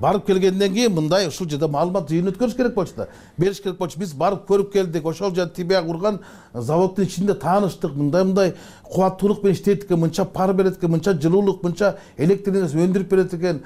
Барып келгенден кийин мындай ушул жерде маалымат жыйын өткөрүш керек болчу да. Бериш керек болчу. Биз барып көрүп келдик. Ошол жер TBA курган заводдун ичинде тааныштык. Мындай кубаттуулук менен иштейт экен, мынча пар берет экен, мынча жылуулук, мынча электр энергиясын өндүрүп берет экен.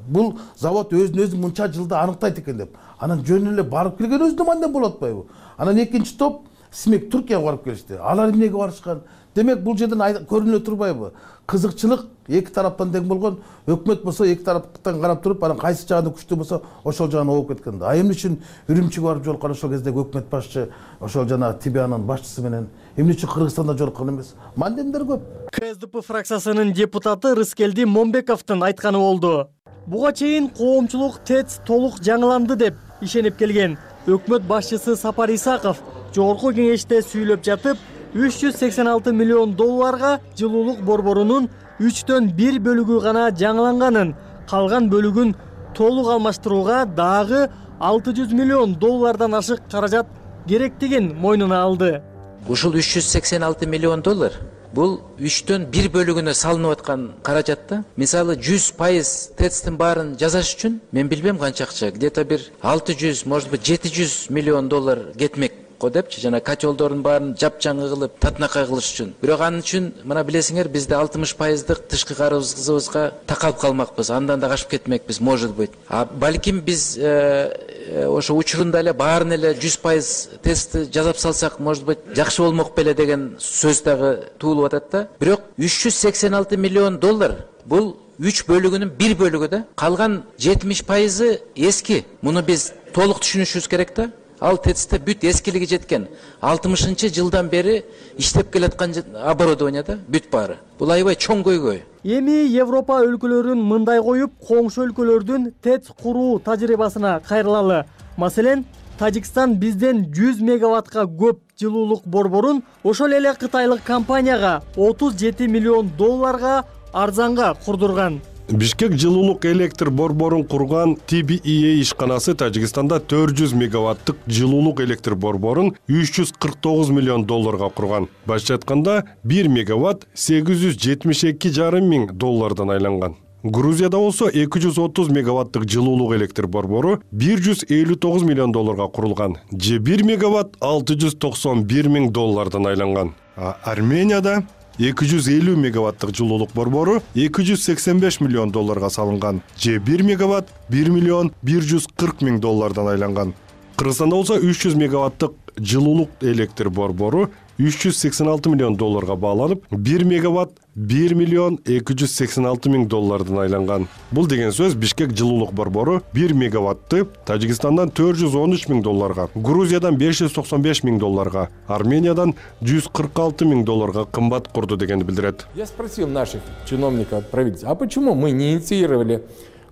Бул завод өзүн мынча жылда аныктайт экен деп. Анан жөн эле барып келген өзүнө мындай болуп атпайбы? Анан экинчи топ СМЕК Түркияга барып келишти. Алар эмнеге барышкан? Демек бул жерден көрүнө турбайбы? Кызыкчылык эки тараптан тең болгон, өкмөт болсо эки тараптан карап туруп, анан кайсы жагында күчтүү болсо ошол жагына ооп кеткен да. Эмне үчүн Үрүмчүгө барып жолуккан ошол кездеги өкмөт башчы, ошол жана ТИБАнын башчысы менен эмне үчүн Кыргызстанда жолуккан эмес? Мандемдер көп. КСДП фракциясынын депутаты Рыскелди Момбековдун айтканы болду. Буга чейин коомчулук ТЭЦ толук жаңыланды деп ишенип келген. Өкмөт башчысы Сапар Исаков жогорку кеңеште сүйлөп жатып, 386 миллион долларга жылуулук борборунун 1/3 бөлүгү гана жаңыланганын, калган бөлүгүн толук алмаштырууга дагы 600 миллион доллардан ашык каражат керектигин мойнуна алды. Ушул 386 миллион доллар бул 1/3 бөлүгүнө салынып аткан каражатта. Мисалы 100% ТЭЦтин баарын жасаш үчүн мен билбем канча акча, где-то бир 600, может быть 700 миллион доллар кетмек депчи, жана котелдордун баарын жапжаңы кылып татынакай кылыш үчүн. Бирок анын үчүн мына билесиңер, бизде 60% тышкы карызыбызга такалып калмакпыз. Андан да качып кетмекпиз, может быть. Балким биз ошо учурунда эле баарын эле 100% тестти жасап салсак, может быть, жакшы болмок беле деген сөз дагы туулуп атат да. Бирок 386 миллион доллар бул 3 бөлүгүнүн 1 бөлүгү да. Калган 70% эски. Муну биз толук түшүнүшүбүз керек да. Ал ТЭЦте бүт эскилиги жеткен 60-жылдан бери иштеп келаткан оборудование да, бүт баары. Бул аябай чоң көйгөй. Эми Европа өлкөлөрүн мындай коюп, коңшу өлкөлөрдүн ТЭЦ куруу тажрыйбасына кайрылалы. Маселен, Тажикстан бизден 100 мегаваттка көп жылуулук борборун ошол эле кытайлык компанияга 37 миллион долларга арзанга курдурган. Бишкек жылуулук электр борборун курган TBEA ишканасы Тажикстанда 400 мегаваттык жылуулук электр борборун 349 миллион долларга курган. Башкача айтканда 1 мегаватт 872,5 миң доллардан айланган. Грузияда болсо 230 мегаваттык жылуулук электр борбору 159 миллион долларга курулган. Же 1 мегаватт 691 миң доллардан айланган. Арменияда 250 мегаваттык жылуулук борбору 285 миллион долларга салынган. Же 1 мегаватт 1 миллион 140 миң доллардан айланган. Кыргызстанда болсо 300 мегаваттык жылуулук электр борбору 386 миллион долларга бааланып, 1 мегаватт 1 миллион 286 миң доллардан айланган. Бул деген сөз Бишкек жылуулук борбору 1 мегаватты Тажикстандан 413 миң долларга, Грузиядан 595 миң долларга, Армениядан 146 миң долларга кымбат курду дегенди билдирет. Я спросил наших чиновников от правительства, а почему мы не инициировали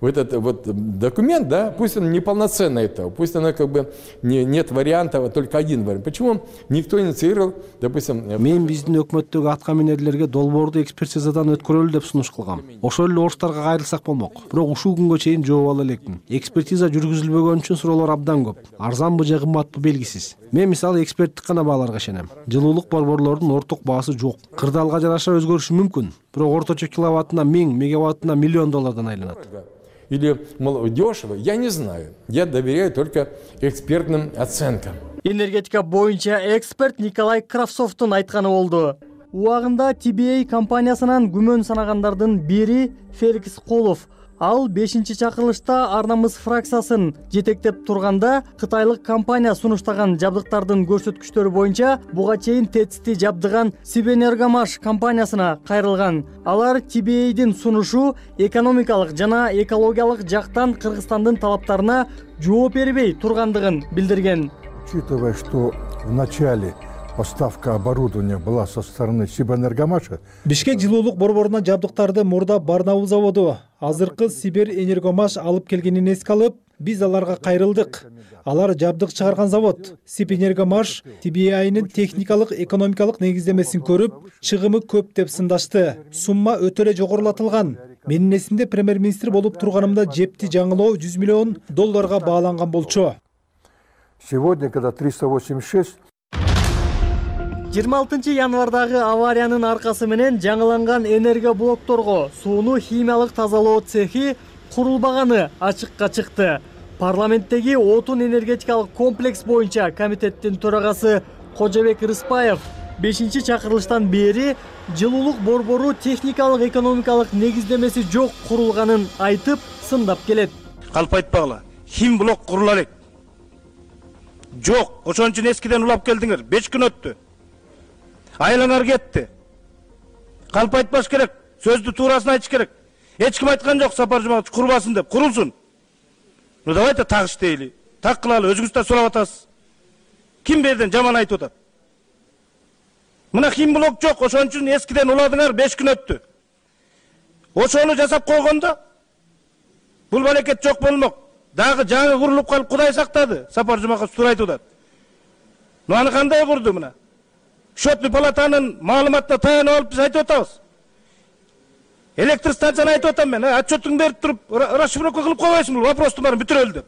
вот этот вот документ, да, пусть он неполноценный этого, пусть она как бы нет вариантов, а только один вариант. Почему никто инициировал, допустим... Мен биздин өкмөттөгү аткаминерлерге долбоорду экспертизадан өткөрөлү деп сунуш кылгам. Ошол эле орустарга кайрылсак болмок. Бирок ушул күнгө чейин жооп ала элекмин. Экспертиза жүргүзүлбөгөн үчүн суроолор абдан көп. Арзанбы же кымбатпы белгисиз. Мен мисалы эксперттик гана бааларга ишенем. Жылуулук борборлордун орток баасы жок. Кырдаалга жараша өзгөрүшү мүмкүн. Бирок орточо киловаттына 1000, мегаваттына миллион доллардан айланат. Или дешево, я не знаю. Я доверяю только экспертным оценкам. Энергетика боюнча эксперт Николай Кравцовдун айтканы болду. Убагында TBA компаниясынан күмөн санагандардын бири Феликс Колов. Ал 5-чакырылышта Арнамыз фракциясын жетектеп турганда кытайлык компания сунуштаган жабдыктардын көрсөткүчтөрү боюнча буга чейин ТЭЦти жабдыган Сибэнергомаш компаниясына кайрылган. Алар TBA'дин сунушу экономикалык жана экологиялык жактан Кыргызстандын талаптарына жооп бербей тургандыгын билдирген. Учитывая, что в начале поставка оборудования была со стороны Сибэнергомаша. Бишкек жылуулук борборуна жабдыктарды мурда Барнаул заводу, азыркы Сибэнергомаш алып келгенин эске алып, биз аларга кайрылдык. Алар жабдык чыгарган завод. Сибэнергомаш TBA'нын техникалык экономикалык негиздемесин көрүп, чыгымы көп деп сындашты. Сумма өтө эле жогорулатылган. Менин эсимде премьер-министр болуп турганымда жепти жаңылоо 100 миллион долларга бааланган болчу. Сегодня, когда 386 26 январдагы авариянын аркасы менен жаңыланган энергоблокторго сууну химиялык тазалоо цехи курулбаганы ачыкка чыкты. Парламенттеги отун энергетикалык комплекс боюнча комитеттин төрагасы Кожобек Рыспаев 5-чакырылыштан бери жылуулук борбору техникалык экономикалык негиздемеси жок курулганын айтып, сындап келет. Калп айтпагыла, хим блок курула элек. Жок, ошон үчүн эскиден улап келдиңер. 5 күн өттү. Айланар кетти. Калп айтпаш керек. Сөздү туурасын айтыш керек. Эч ким айткан жок Сапар Жумабатович курбасын деп. Курулсун. Ну давайте так иштейли. Так кылалы. Өзүңүз да сурап атасыз. Ким берден жаман айтып атат? Мына химблок жок, ошон үчүн эскиден уладыңар, 5 күн өттү. Ошону жасап койгондо бул балекет жок болмок. Дагы жаңы курулуп калып Кудай сактады. Сапар Жумабатович туура айтып атат. Ну аны кандай курду мына? Счетный палатанын маалыматына таянып алып биз айтып атабыз. Электр станцияны айтып атам мен. Отчетуңду берип туруп, расшифровка кылып койбойсуңбу? Вопростун баарын бүтүрөлү деп.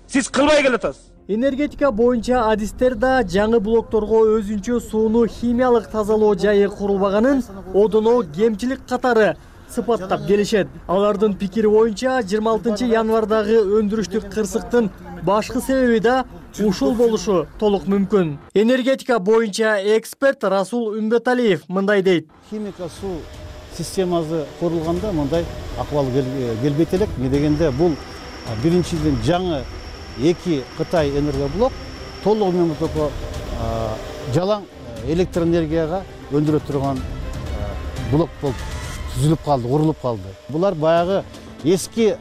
Сиз кылбай келатасыз. Энергетика боюнча адистер да жаңы блокторго өзүнчө сууну химиялык тазалоо жайы курулбаганын одоно кемчилик катары сыпаттап келишет. Алардын пикири боюнча 26 январдагы өндүрүштүк кырсыктын башкы себеби да ушул болушу толук мүмкүн. Энергетика боюнча эксперт Расул Үмбеталиев мындай дейт. Химика суу системасы курулганда мындай акыбал келбейт элек. Эмне дегенде бул биринчиден жаңы 2 Кытай энергоблок толугу менен жалаң электр энергияга өндүрө турган блок болуп түзүлүп калды, курулуп калды. Булар баягы эски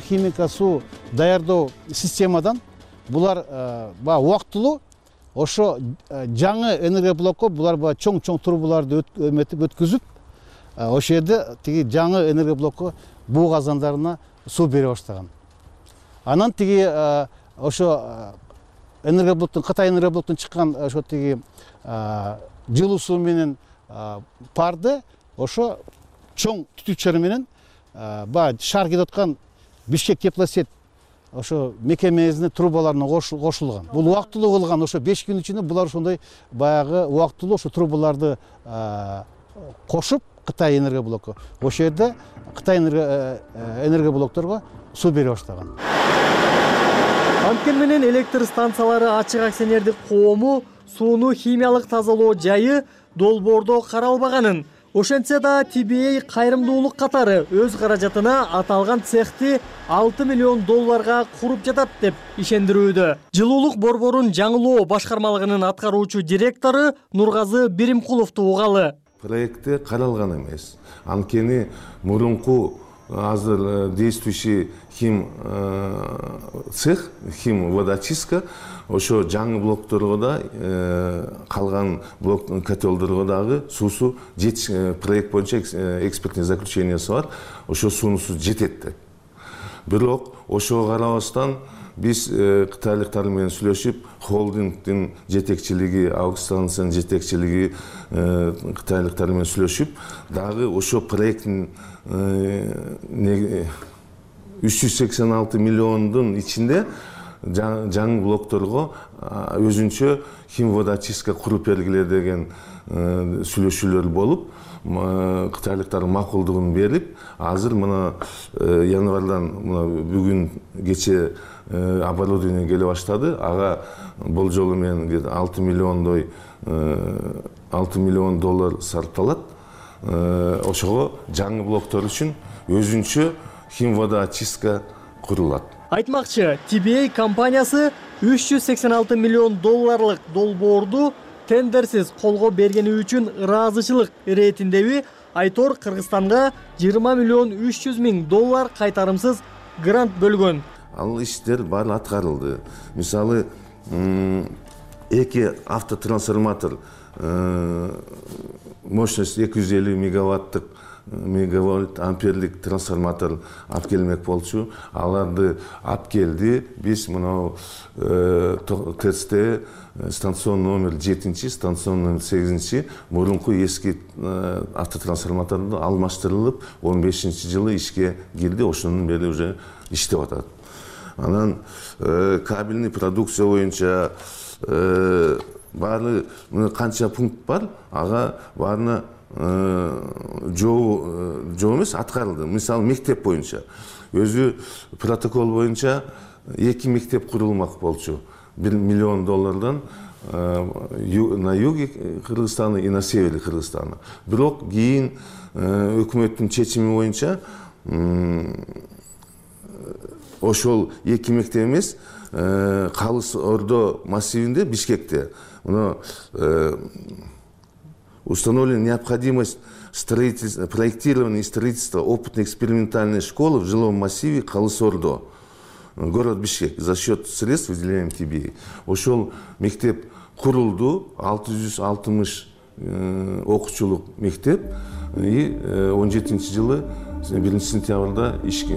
химика суу даярдоо системадан булар убактылуу ошо жаңы энергоблокко булар чоң трубаларды өткүзүп ошол жерде тиги жаңы энергоблокко буу казандарына суу бере баштаган. Анан тиги ошо энергоблоктун Кытай энергоблоктун чыккан ошо тиги жылуу суу менен парды ошо чоң түтүкчөр менен шаар кетип аткан Бишкек теплосет ошо мекемесинин трубаларына кошулган. Бул убактылуу кылган, ошо 5 күн ичинде булар ошондой баягы убактылуу ошо трубаларды кошуп Кытай энергоблокко ошол жерде Кытай энергоблокторго суу бере баштаган. Анткени менен электр станциялары ачык акционердик коому сууну химиялык тазалоо жайы долбоордо каралбаганын, ошентсе да TBA кайрымдуулук катары өз каражатына аталган цехти $6 миллион куруп жатат деп ишендирүүдө. Жылуулук борборун жаңылоо башкармалыгынын аткаруучу директору Нургазы Биримкуловду угалы. Проекте каралган эмес. Анткени мурунку азыр действующий хим цех, хим водочистка ошо жаңы блокторго да калган блок котелдорго дагы суусу проект боюнча экспертный заключениясы бар. Ошо суунусу жетет деп. Бирок ошого карабастан биз кытайлыктар менен сүйлөшүп, холдингдин жетекчилиги, аукциондун жетекчилиги кытайлыктар менен сүйлөшүп, дагы ошо проекттин 386 миллиондун ичинде жаңы блокторго өзүнчө химводочистка куруп бергиле деген сүйлөшүүлөр болуп, кытайлыктардын макулдугун берип, азыр мына январдан бүгүн кече оборудование келе баштады. Ага болжолу менен $6 миллион сарпталат. Ошого жаңы блоктор үчүн өзүнчө химводочистка курулат. Айтмакчы, TBA компаниясы $386 миллион долбоорду тендерсиз колго бергени үчүн ыраазычылык иретиндеби Айтор Кыргызстанга $20 миллион $300 кайтарымсыз грант бөлгөн. Ал иштер баары аткарылды. Мисалы, 2 автотрансформатор мощность 250 мегаватт амперлик трансформатор алып келмек болчу. Аларды алып келди. Биз мынау ТЭЦ станцион номер 7, станцион номер 8 мурунку эски автотрансформаторду алмаштырылып, 15-жылы ишке кирди. Ошонун бери уже иштеп атат. Анан кабельный продукция боюнча баары канча пункт бар, ага баарына жоо эмес аткарылды. Мисалы, мектеп боюнча өзү протокол боюнча 2 мектеп курулмак болчу. $1 миллион на юге Кыргызстана и на севере Кыргызстана. Бирок кийин өкмөттүн чечими боюнча ошол 2 мектеп эмес, Калыс Ордо массивинде, Бишкекте установлена необходимость проектирования и строительства опытно-экспериментальной школы в жилом массиве Калыс Ордо, город Бишкек, за счет средств, выделяемых ТБИ. Ошол мектеп курулду, 660 окуучулук мектеп, и 17-жылы 1 сентябрда ишке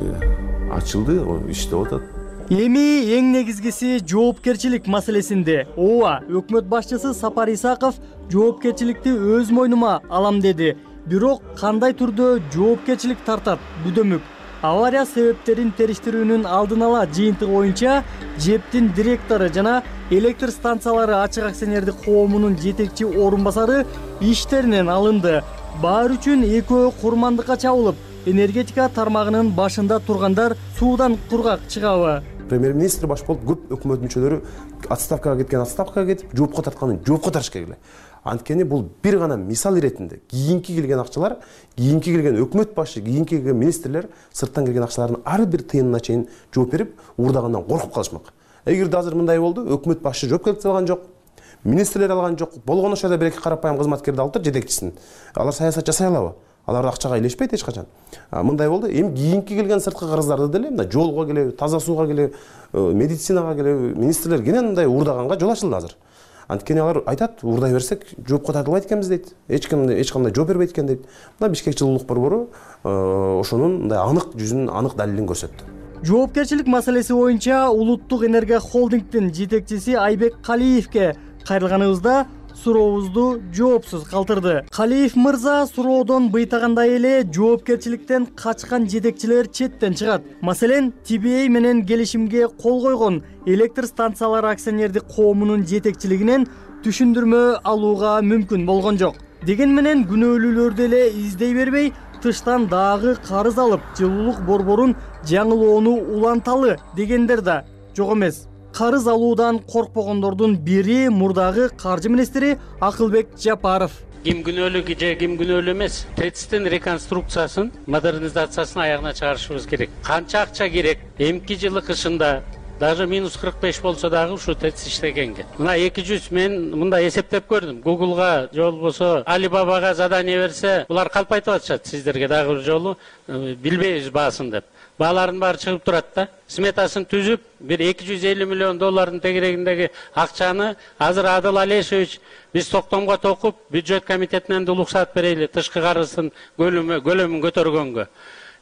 ачылды, иштеп атат. Эми эң негизгиси жоопкерчилик маселесинде. Ооба, өкмөт башчысы Сапар Исаков жоопкерчиликти өз мойнума алам деди. Бирок кандай түрдө жоопкерчилик тартат? Бүдөмүк. Авария себептерин териштирүүнүн алдын ала жыйынтыгы боюнча ЖЭПтин директору жана электр станциялары ачык акционердик коомунун жетекчи орун басары иштеринен алынды. Баар үчүн экөө курмандыкка чабылып, энергетика тармагынын башында тургандар суудан кургак чыгабы? Премьер-министр баш болуп, көп өкмөт мүчөлөрү отставкага кеткен отставкага кетип, жоопко тартканын жоопко тартыш керек эле. Анткени бул бир гана мисал иретинде кийинки келген акчалар, кийинки келген өкмөт башы, кийинки келген министрлер сырттан келген акчалардын ар бир тыйынына чейин жооп берип, уурдагандан коркуп калышмак. Эгерде азыр мындай болду, өкмөт башы жоопкерчилик алган жок, министрлер алган жок, болгон ошол бир эки карапайым кызматкерди алыптыр, жетекчисин. Алар саясат жасай алабы? Алар акчага илешпейт эч качан. Мындай болду, эми кийинки келген сырткы карыздарды деле, мына жолго келеби, таза сууга келеби, медицинага келеби, министрлер кенен мындай уурдаганга жол ачылды азыр. Анткени алар айтат, уурдай берсек жоопко тартылбайт экенбиз дейт. Эч кандай жооп бербейт экен дейт. Мына Бишкек жылуулук борбору ошонун мындай анык жүзүнүн, анык далилин көрсөттү. Жоопкерчилик маселеси боюнча Улуттук энергия холдингдин жетекчиси Айбек Калиевке кайрылганыбызда сурообузду жоопсуз калтырды. Калиев мырза суроодон быйтагандай эле жоопкерчиликтен качкан жетекчилер четтен чыгат. Маселен, ТБА менен келишимге кол койгон электр станциялары акционердик коомунун жетекчилигинен түшүндүрмө алууга мүмкүн болгон жок. Деген менен күнөөлүүлөрдү эле издей бербей, тыштан дагы карыз алып, жылуулук борборун жаңылоону уланталы дегендер да жок эмес. Карыз алуудан коркпогондордун бири мурдагы каржы министри Акылбек Жапаров. Ким күнөөлүү же ким күнөөлүү эмес, ТЭЦтин реконструкциясын, модернизациясын аягына чыгарышыбыз керек. Канча акча керек? Эмки жылы кышында даже минус 45 болсо дагы ушу ТЭЦ иштегенге. Мына 200 мен мында эсептеп көрдүм. Google'га же болбосо Alibaba'га задание берсе, булар калп айтып атышат сиздерге дагы бир жолу билбейбиз баасын деп. Бааларын баары чыгып турат да. Сметасын түзүп, бир 250 миллион доллардын тегерегиндеги акчаны азыр Адыл Алешевич биз токтомго токуп, бюджет комитетинен уруксат берели тышкы карыздын көлөмүн көтөргөнгө.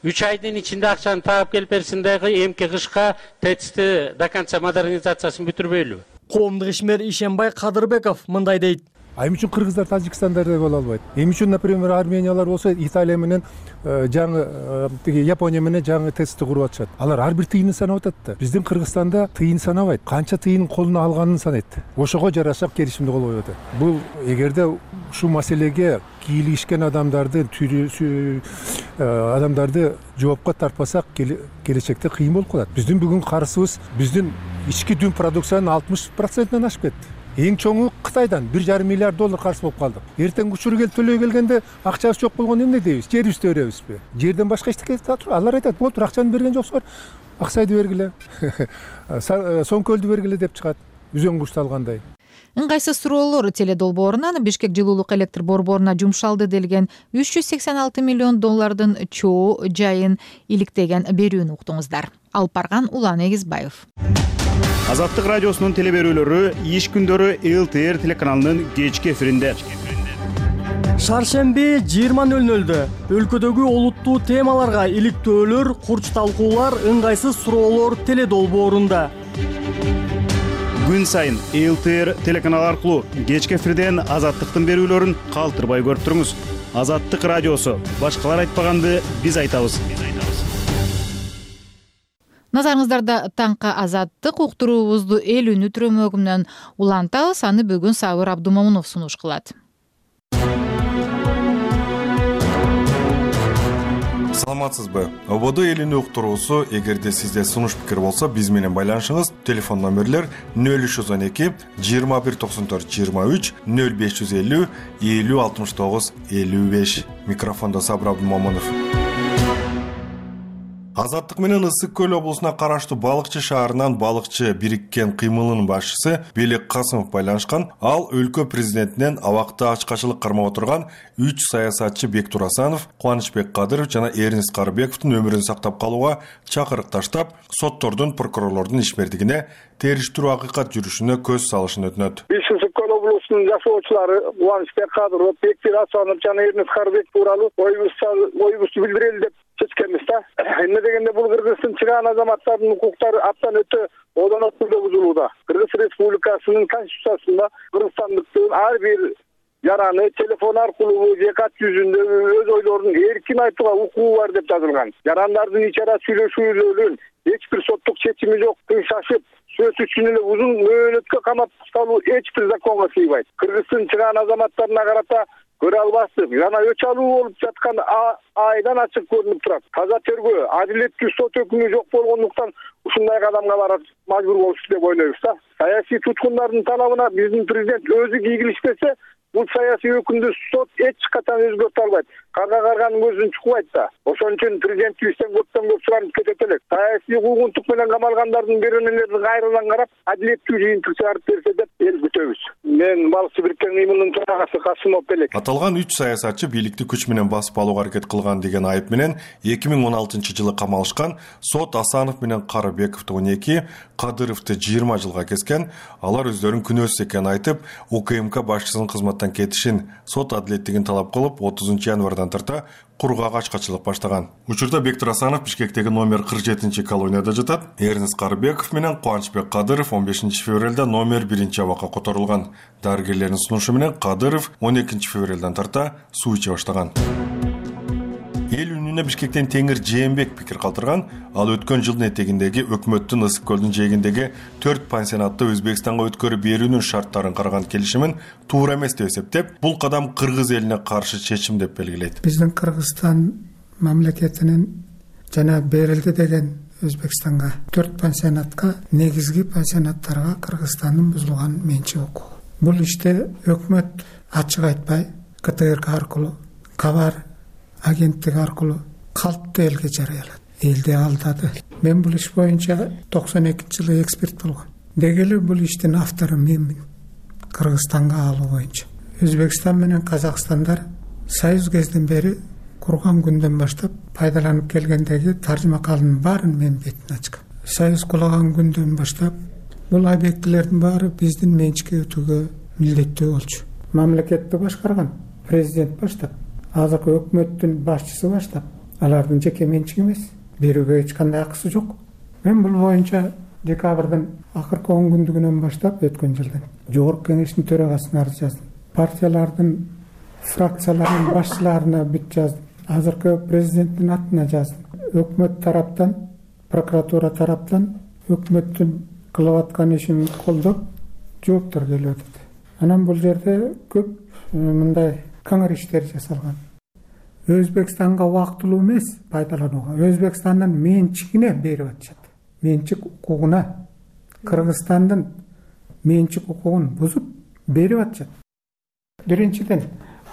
3 айдын ичинде акчаны таап келип берсин дагы эмки кышка ТЭЦти до конца модернизациясын бүтүрбөйлүбү? Коомдук ишмер Ишенбай Кадырбеков мындай дейт. Эми үчүн кыргыздар Тажикстандарда боло албайт. Эми үчүн, например, Армениялар болсо Италия менен жаңы тиги Япония менен жаңы ТЭЦти куруп атышат. Алар ар бир тыйынын санап атат да. Биздин Кыргызстанда тыйын санабайт. Канча тыйын колуна алганын санайт. Ошого жараша келишимди кол коюп атат. Бул эгерде ушул маселеге кийлигишкен адамдарды жоопко тартпасак, келечекте кыйын болуп калат. Биздин бүгүн карызыбыз биздин ички дүн продукциянын 60%-тен ашып кетти. Эң чоңу Кытайдан 1,5 миллиард доллар карыз болуп калдык. Эртең учуру келип төлөй келгенде акчабыз жок болгону эмне дейбиз? Жерибизди өрөбүзбү? Жерден башка эчтеке алар айтат, болду, акчаны берген жоксуңар. Аксайды бергиле. Соңкөлдү бергиле деп чыгат. Үзөң кушталгандай. Ыңгайсыз суроолор теледолбоорунан Бишкек жылуулук электр борборуна жумшалды делген 386 миллион доллардын чоо жайын иликтеген берүүнү уктуңуздар. Алып барган Улан Эгизбаев. Азаттык радиосунун телеберүүлөрү иш күндөрү ЛТР телеканалынын кечки эфиринде. Шаршемби 20:00 өлкөдөгү олуттуу темаларга иликтөөлөр, курч талкуулар, ыңгайсыз суроолор теледолбоорунда. Күн сайын ЛТР телеканалы аркылуу кечки эфирден Азаттыктын берүүлөрүн калтырбай көрүп туруңуз. Азаттык радиосу. Башкалар айтпаганды биз айтабыз. Назарыңыздарда таңкы Азаттык уктуруубузду эл үнү түрөмөгүнөн улантабыз. Аны бүгүн Сабыр Абдумомунов сунуш кылат. Саламатсызбы? ОБОД эл үнү уктуруусу. Эгерде сизде сунуш пикир болсо, биз менен байланышыңыз. Телефон номерлер 0312 2194 23 0550 50 69 55. Микрофондо Сабыр Абдумомунов. Азаттык менен Ысык көл облусуна караштуу Балыкчы шаарынан Балыкчы бириккен кыймылынын башчысы Белек Касымов байланышкан. Ал өлкө президентинен абакта ачкачылык кармап отурган 3 саясатчы Бектур Асанов, Кубанычбек Кадыров жана Эрнис Карыбековдун өмүрүн сактап калууга чакырык таштап, соттордун, прокурорлордун ишмердигине териштирүү акыйкат жүрүшүнө көз салышын өтүнөт. Биз Ысык көл облусунун жашоочулары Кубанычбек Кадыров, Бектур Асанов жана Эрнис Карыбеков тууралуу оюбузду билдирели деп чечкенбиз да. Эмне дегенде бул Кыргызстан чыган азаматтардын укуктары аптан өтө одоноп бузулууда. Кыргыз Республикасынын конституциясында кыргызстандыктын ар бир жараны телефон аркылуу же кат жүзүндө өз ойлорун эркин айтууга укугу бар деп жазылган. Жарандардын ичара сүйлөшүүлөрүн эч бир соттук чечими жок, шашып сөз үчүн эле узун мөөнөткө камап салуу эч бир законго сыйбайт. Кыргыздын чыган азаматтарына карата көрө албастык жана өч алуу болуп жаткан айдан ачык көрүнүп турат. Таза тергөө, адилеттүү сот өкүмү жок болгондуктан ушундай кадамга барат мажбур болушту деп ойлойбуз да. Саясий туткундардын талабына биздин президент өзү кийгилишпесе, бул саясий өкүмдү сот эч качан өзгөртө албайт. Карга карганын көзүн чукпайт да. Ошон үчүн президентибизден көптөн көп суранып кетет элек. Саясий куугунтук менен камалгандардын беренелерин кайрадан карап, адилеттүү жыйынтык чыгарып берсе деп эл күтөбүз. Мен Балыкчы бириккен кыймылынын төрагасы Касымов Белек. Аталган 3 саясатчы бийликти күч менен басып алууга аракет кылган деген айып менен 2016-жылы камалышкан. Сот Асанов менен Карыбековду 12, Кадыровду 20 жылга kesкен. Алар өздөрүн күнөөсүз экенин айтып, УКМК башчысынын кызматтан кетишин, сот адилеттигин талап кылып, 30 январдан тарта кургак ачкачылык баштаган. Учурда Бектур Асанов Бишкектеги номер 47 колонияда жатат. Эрнис Карыбеков менен Кубанычбек Кадыров 15 февралда номер 1 абакка которулган. Дарыгерлердин сунушу менен Кадыров 12 февралдан тарта суу иче баштаган. Эл үнүнө Бишкектен Теңир Жээнбек пикир калтырган. Ал өткөн жылдын этегиндеги өкмөттүн Ысык көлдүн жээгиндеги 4 пансионатты Өзбекстанга өткөрүп берүүнүн шарттарын караган келишимин туура эмес деп эсептеп, бул кадам кыргыз элине каршы чечим деп белгилейт. Биздин Кыргызстан мамлекетинин жана берилди деген Өзбекстанга 4 пансионатка, негизги пансионаттарга Кыргызстандын бузулган менчик укугу. Бул иште өкмөт ачык айтпай, КТРК аркылуу, Кабар агенттиги аркылуу калпты элге жарыялады. Элди алдады. Мен бул иш боюнча 92-жылы эксперт болгом. Дегеле бул иштин автору менмин. Кыргызстанга алуу боюнча. Өзбекстан менен Казакстандар союз кезден бери курган күндөн баштап пайдаланып келгендеги таржымакалдын баарын мен бетине ачкам. Союз кулаган күндөн баштап бул объектилердин баары биздин менчикке өтүүгө милдеттүү болчу. Мамлекетти башкарган президент баштап, азыркы өкмөттүн башчысы баштап, алардын жеке менчиги эмес, берүүгө эч кандай акысы жок. Мен бул боюнча декабрдын акыркы 10 күндүгүнөн баштап өткөн жылдын жогорку кеңештин төрагасына арыз жаздым. Партиялардын фракцияларынын башчыларына бүт жаздым. Азыркы президенттин атына жаздым. Өкмөт тараптан, прокуратура тараптан өкмөттүн кылып аткан ишин колдоп жооптор келип атат. Анан бул жерде көп мындай каңыр иштер жасалган. Өзбекстанга убактылуу эмес пайдаланууга, Өзбекстандын менчигине берип атышат. Менчик укугуна, Кыргызстандын менчик укугун бузуп берип атышат. Биринчиден,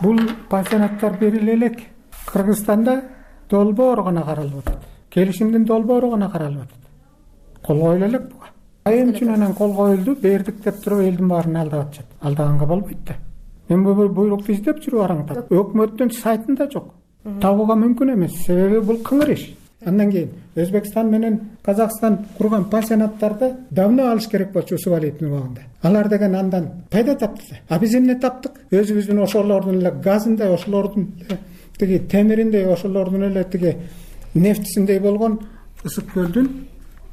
бул пансионаттар бериле элек Кыргызстанда долбоору гана каралып атат. Келишимдин долбоору гана каралып атат. Кол коюлу элек буга. Айым үчүн анан кол коюлду, бердик деп туруп элдин баарын алдап атышат. Алдаганга болбойт да. Мен бул буйрукту издеп жүрүп араңдап. Өкмөттүн сайтында жок. Табууга мүмкүн эмес, себеби бул кыңыр иш. Андан кийин Өзбекстан менен Казакстан курган пансионаттарды давно алыш керек болчу Усубалиевдин убагында. Алар деген андан пайда тапты. А биз эмне таптык? Өзүбүздүн ошолордун эле газындай, ошолордун тиги темириндей, ошолордун эле тиги нефтисиндей болгон Ысык көлдүн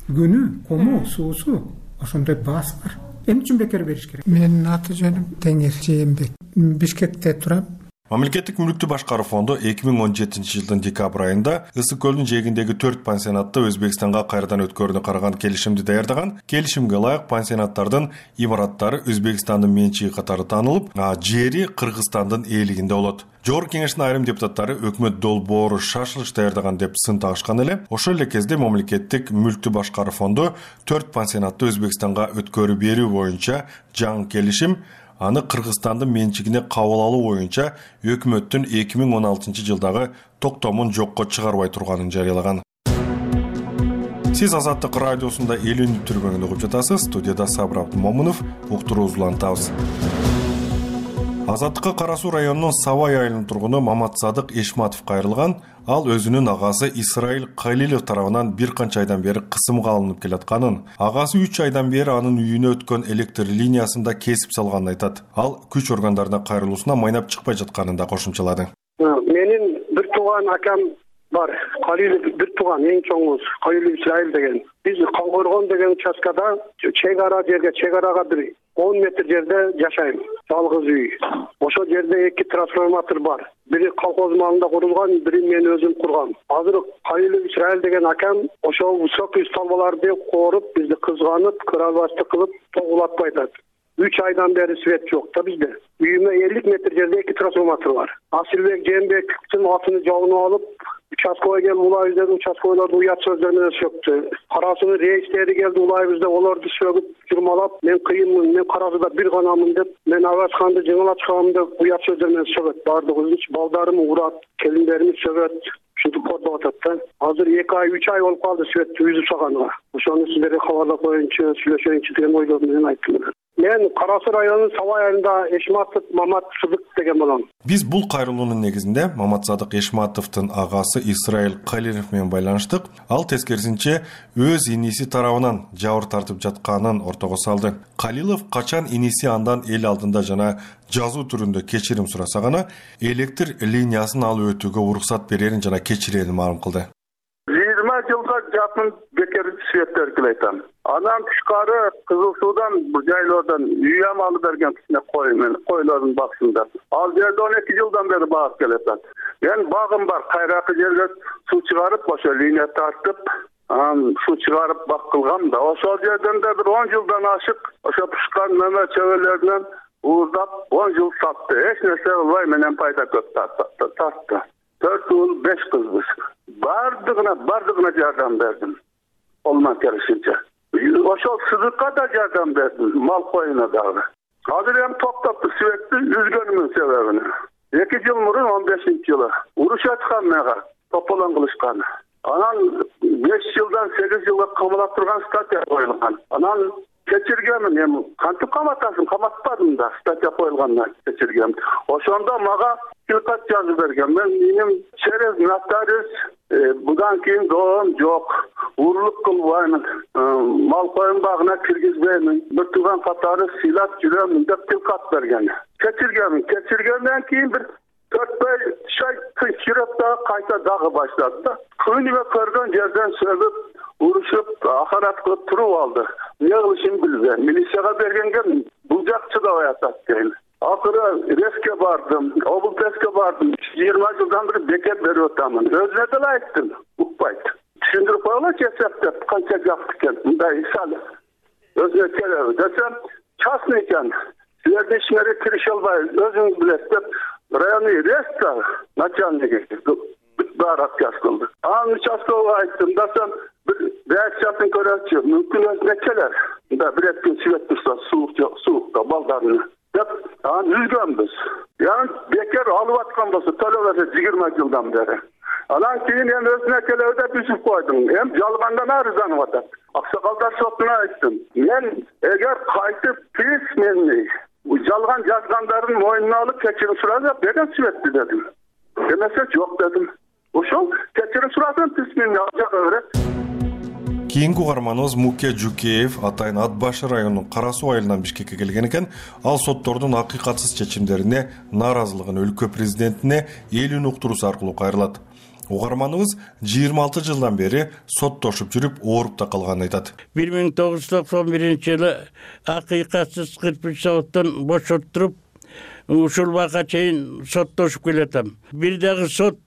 күнү, куму, суусу ошондой баасы бар. Эмне үчүн бекер бериш керек? Менин аты жөнүм Теңир Жээнбек. Бишкекте турам. Мамлекеттик мүлктү башкаруу фонду 2017 жылдын декабрь айында Ысык көлдүн жээгиндеги 4 пансионатты Өзбекстанга кайрадан өткөрүүнү караган келишимди даярдаган. Келишимге ылайык пансионаттардын имараттары Өзбекстандын менчиги катары таанылып, жери Кыргызстандын ээлигинде болот. Жогорку кеңештин айрым депутаттары өкмөт долбоору шашылыш даярдаган деп сын тагышкан эле. Ошол эле кезде мамлекеттик мүлктү башкаруу фонду 4 пансионатты Өзбекстанга өткөрүп берүү боюнча жаңы келишим, аны Кыргызстандын менчигине кабыл алуу боюнча өкмөттүн 2016 жылдагы токтомун жокко чыгарбай турганын жарыялаган. Сиз Азаттык радиосунда элүүнү түрмөгүндө угуп жатасыз. Студияда Сабыр Абдымомунов, уктуруубузду улантабыз. Азаттыкка Кара Суу районунун Сабай айылынын тургуну Маматсадык Эшматов кайрылган. Ал өзүнүн агасы Исраил Калилов тарабынан бир канча айдан бери кысымга алынып келатканын, агасы 3 айдан бери анын үйүнө өткөн электр линиясында кесип салганын айтат. Ал күч органдарына кайрылуусуна майнап чыкпай жатканын да кошумчалады. Менин бир тууган акам бар. Калилов бир тууган, эң чоңубуз Калилов Исраил деген. Биз Коңгоргон деген участкада чек-арага бир 10 метр жерде жашайм. Жалгыз үй. Ошол жерде 2 трансформатор бар. Бири колхоз малында курулган, бири мен өзүм кургам. Азыр Калилов Исраил деген акам ошол высокий столбаларды коруп, бизди кызганып, кырабасты кылып, тогулатпай атат. 3 айдан бери свет жок да бизде. Үйүмө 50 метр жерде 2 трансформатор бар. Асылбек Жээнбековдун атын жогунуп алып, участковый келип улайбыз, участковыйларды уят сөздөр менен сөктү. Карасынын рейстери келди, улайбыз деп, олорду сөгүп, журмалап, мен кыйынмын, мен Карасыда бир ганамын деп, мен Агачканды жыңалачкам деп уят сөздөр менен сөгөт. Бардыгыбыз балдарым урат, келиндерим сөгөт. Ушинтип кордоп атат да. Азыр 2 ай, 3 ай болуп калды светти үзүп салганга. Ошону сиздерге кабарлап коеюнчу, сүйлөшөйүнчү деген ойдо менен айттым. Мен Кара Суу районунун Сабай айылында Эшматов Маматсадык деген болом. Биз бул кайрылуунун негизинде Маматсадык Эшматовдун агасы Исраил Калилов менен байланыштык. Ал тескерисинче өз иниси тарабынан жабыр тартып жатканын ортого салды. Калилов качан иниси андан эл алдында жана жазуу түрүндө кечирим сураса гана электр линиясын алып өтүүгө уруксат берерин жана кечирерин маалым кылды. 20 жылга жакын бекер светтер келетем. Анан тышкары Кызыл Суудан, жайлоодон үй амалы берген кичине койлордун баксында. Ал жерде 12 жылдан бери багып келатат. Мен багым бар, кайракы жерге суу чыгарып, ошо линия тартып, суу чыгарып бак кылгам да. Ошол жерден да бир 10 жылдан ашык, ошо пушкан мөмө чөбөлөрүнөн ууздап 10 жыл сатты. Эч нерсе кылбай менен пайда көп тартты. 4 уул 5 кызбыз. Бардыгына жардам бердим. Колуман келишинче. Ошол сыдыкка да жардам бердим, мал коюна дагы. Азыр эми токтопту светти үзгөнүмүн себебини. 2 жыл мурун 15-жылы урушаткан мага, тополон кылышкан. Анан 5 жылдан 8 жылга камалап турган статья коюлган. Анан кечиргемин, эми кантип каматасың, каматпадым да, статья коюлгандан кечиргем. Ошондо мага кылкат жазып берген. Менин через нотариус будан кийин доом жок. Урлук кылбайм, мал коюн багына киргизбейм, бир тууган катары сыйлап жүрөм деп кылкат берген. Кечиргенден кийин бир 4-5 ай тынчырап да кайта дагы баштады да. Күнүгө көргөн жерден сөгүп, урушуп, ахарат кылып туруп алды. Не кылышын билбейм. Милицияга бергенге бул жак чыдабай атат дейм. Акыры Реске бардым, облтеске бардым. 20 жылдан бери бекет берип атамын. Өзүнө деле айттым, укпайт. Түшүндүрүп коелучу эсептеп, канча жакты экен. Мындай исал өзүнө келеби десем, частный экен. Силердин ишиңерге кирише албайбыз, өзүңүз билесиз деп районный рейстер начальниги баары отказ кылды. Анын участкового айттым, десем, бир реакциясын көрөчү, мүмкүн өзүнө келер. Да бир күн свет турса, суукта балдарына деп анан үзгөнбүз. Яны бекер алып аткан болсо төлөбөсө 20 жылдан бери. Анан кийин эми өзүнө келеби деп үзүп койдум. Эми жалгандан арызданып атат. Аксакалдар сотуна айттым. Мен эгер кайтып письменный жалган жазгандарын мойнуна алып кечирим сурап берген светти дедим. Демесе жок дедим. Ошол кечирим сурасам письменный алжага берет. Кийинки угарманыбыз Муке Жукеев атайын Ат Башы районунун Кара Суу айылынан Бишкекке келген экен. Ал соттордун акыйкатсыз чечимдерине нааразылыгын өлкө президентине элүүнү уктуруусу аркылуу кайрылат. Угарманыбыз 26 жылдан бери соттошуп жүрүп, ооруп да калганын айтат. 1991-жылы акыйкатсыз кырпыч соттон бошоттуруп, ушул убакка чейин соттошуп келатам. Бир дагы сот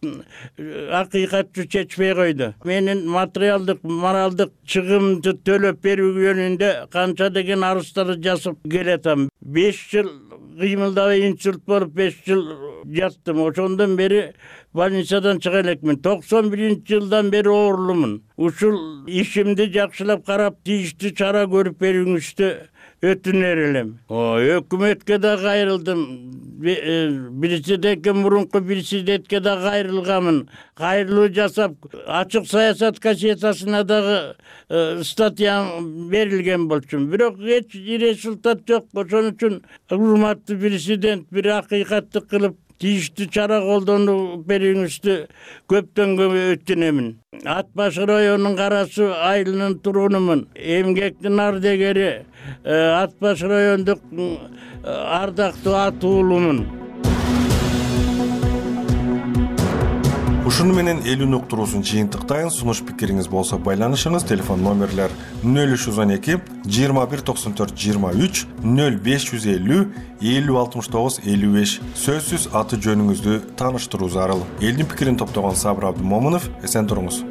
акыйкатты чечпей койду. Менин материалдык, моралдык чыгымды төлөп берүү жөнүндө канча деген арыздарды жазып келатам. 5 жыл кыймылдабай инсульт болуп 5 жыл жаттым. Ошондон бери больницадан чыга элекмин. 91-жылдан бери оорулумун. Ушул ишимди жакшылап карап, тийиштүү чара көрүп берүүңүздү өтүнөр элем. Өкмөткө да кайрылдым. Президентке мурунку президентке да кайрылганмын. Кайрылуу жасап, ачык саясат газетасына дагы статья берилген болчумун. Бирок эч результат жок. Ошон үчүн урматтуу президент бир акыйкатты кылып тийиштүү чара колдонуп берүүңүздү көптөн көп өтүнөмүн. Ат баш районунун карасы айылынын турунумун. Эмгектин ардегери Ат баш райондук ардактуу ат уулумун. Ушуну менен элүүнү уктуруусун жыйынтыктайын. Сунуш пикириңиз болсо байланышыңыз. Телефон номерлер 0312 21 94 23 0550 50 69 55. Сөзсүз аты жөнүңүздү тааныштыруу зарыл. Элдин пикирин топтогон Сабыр Абдымомунов. Эсен туруңуз.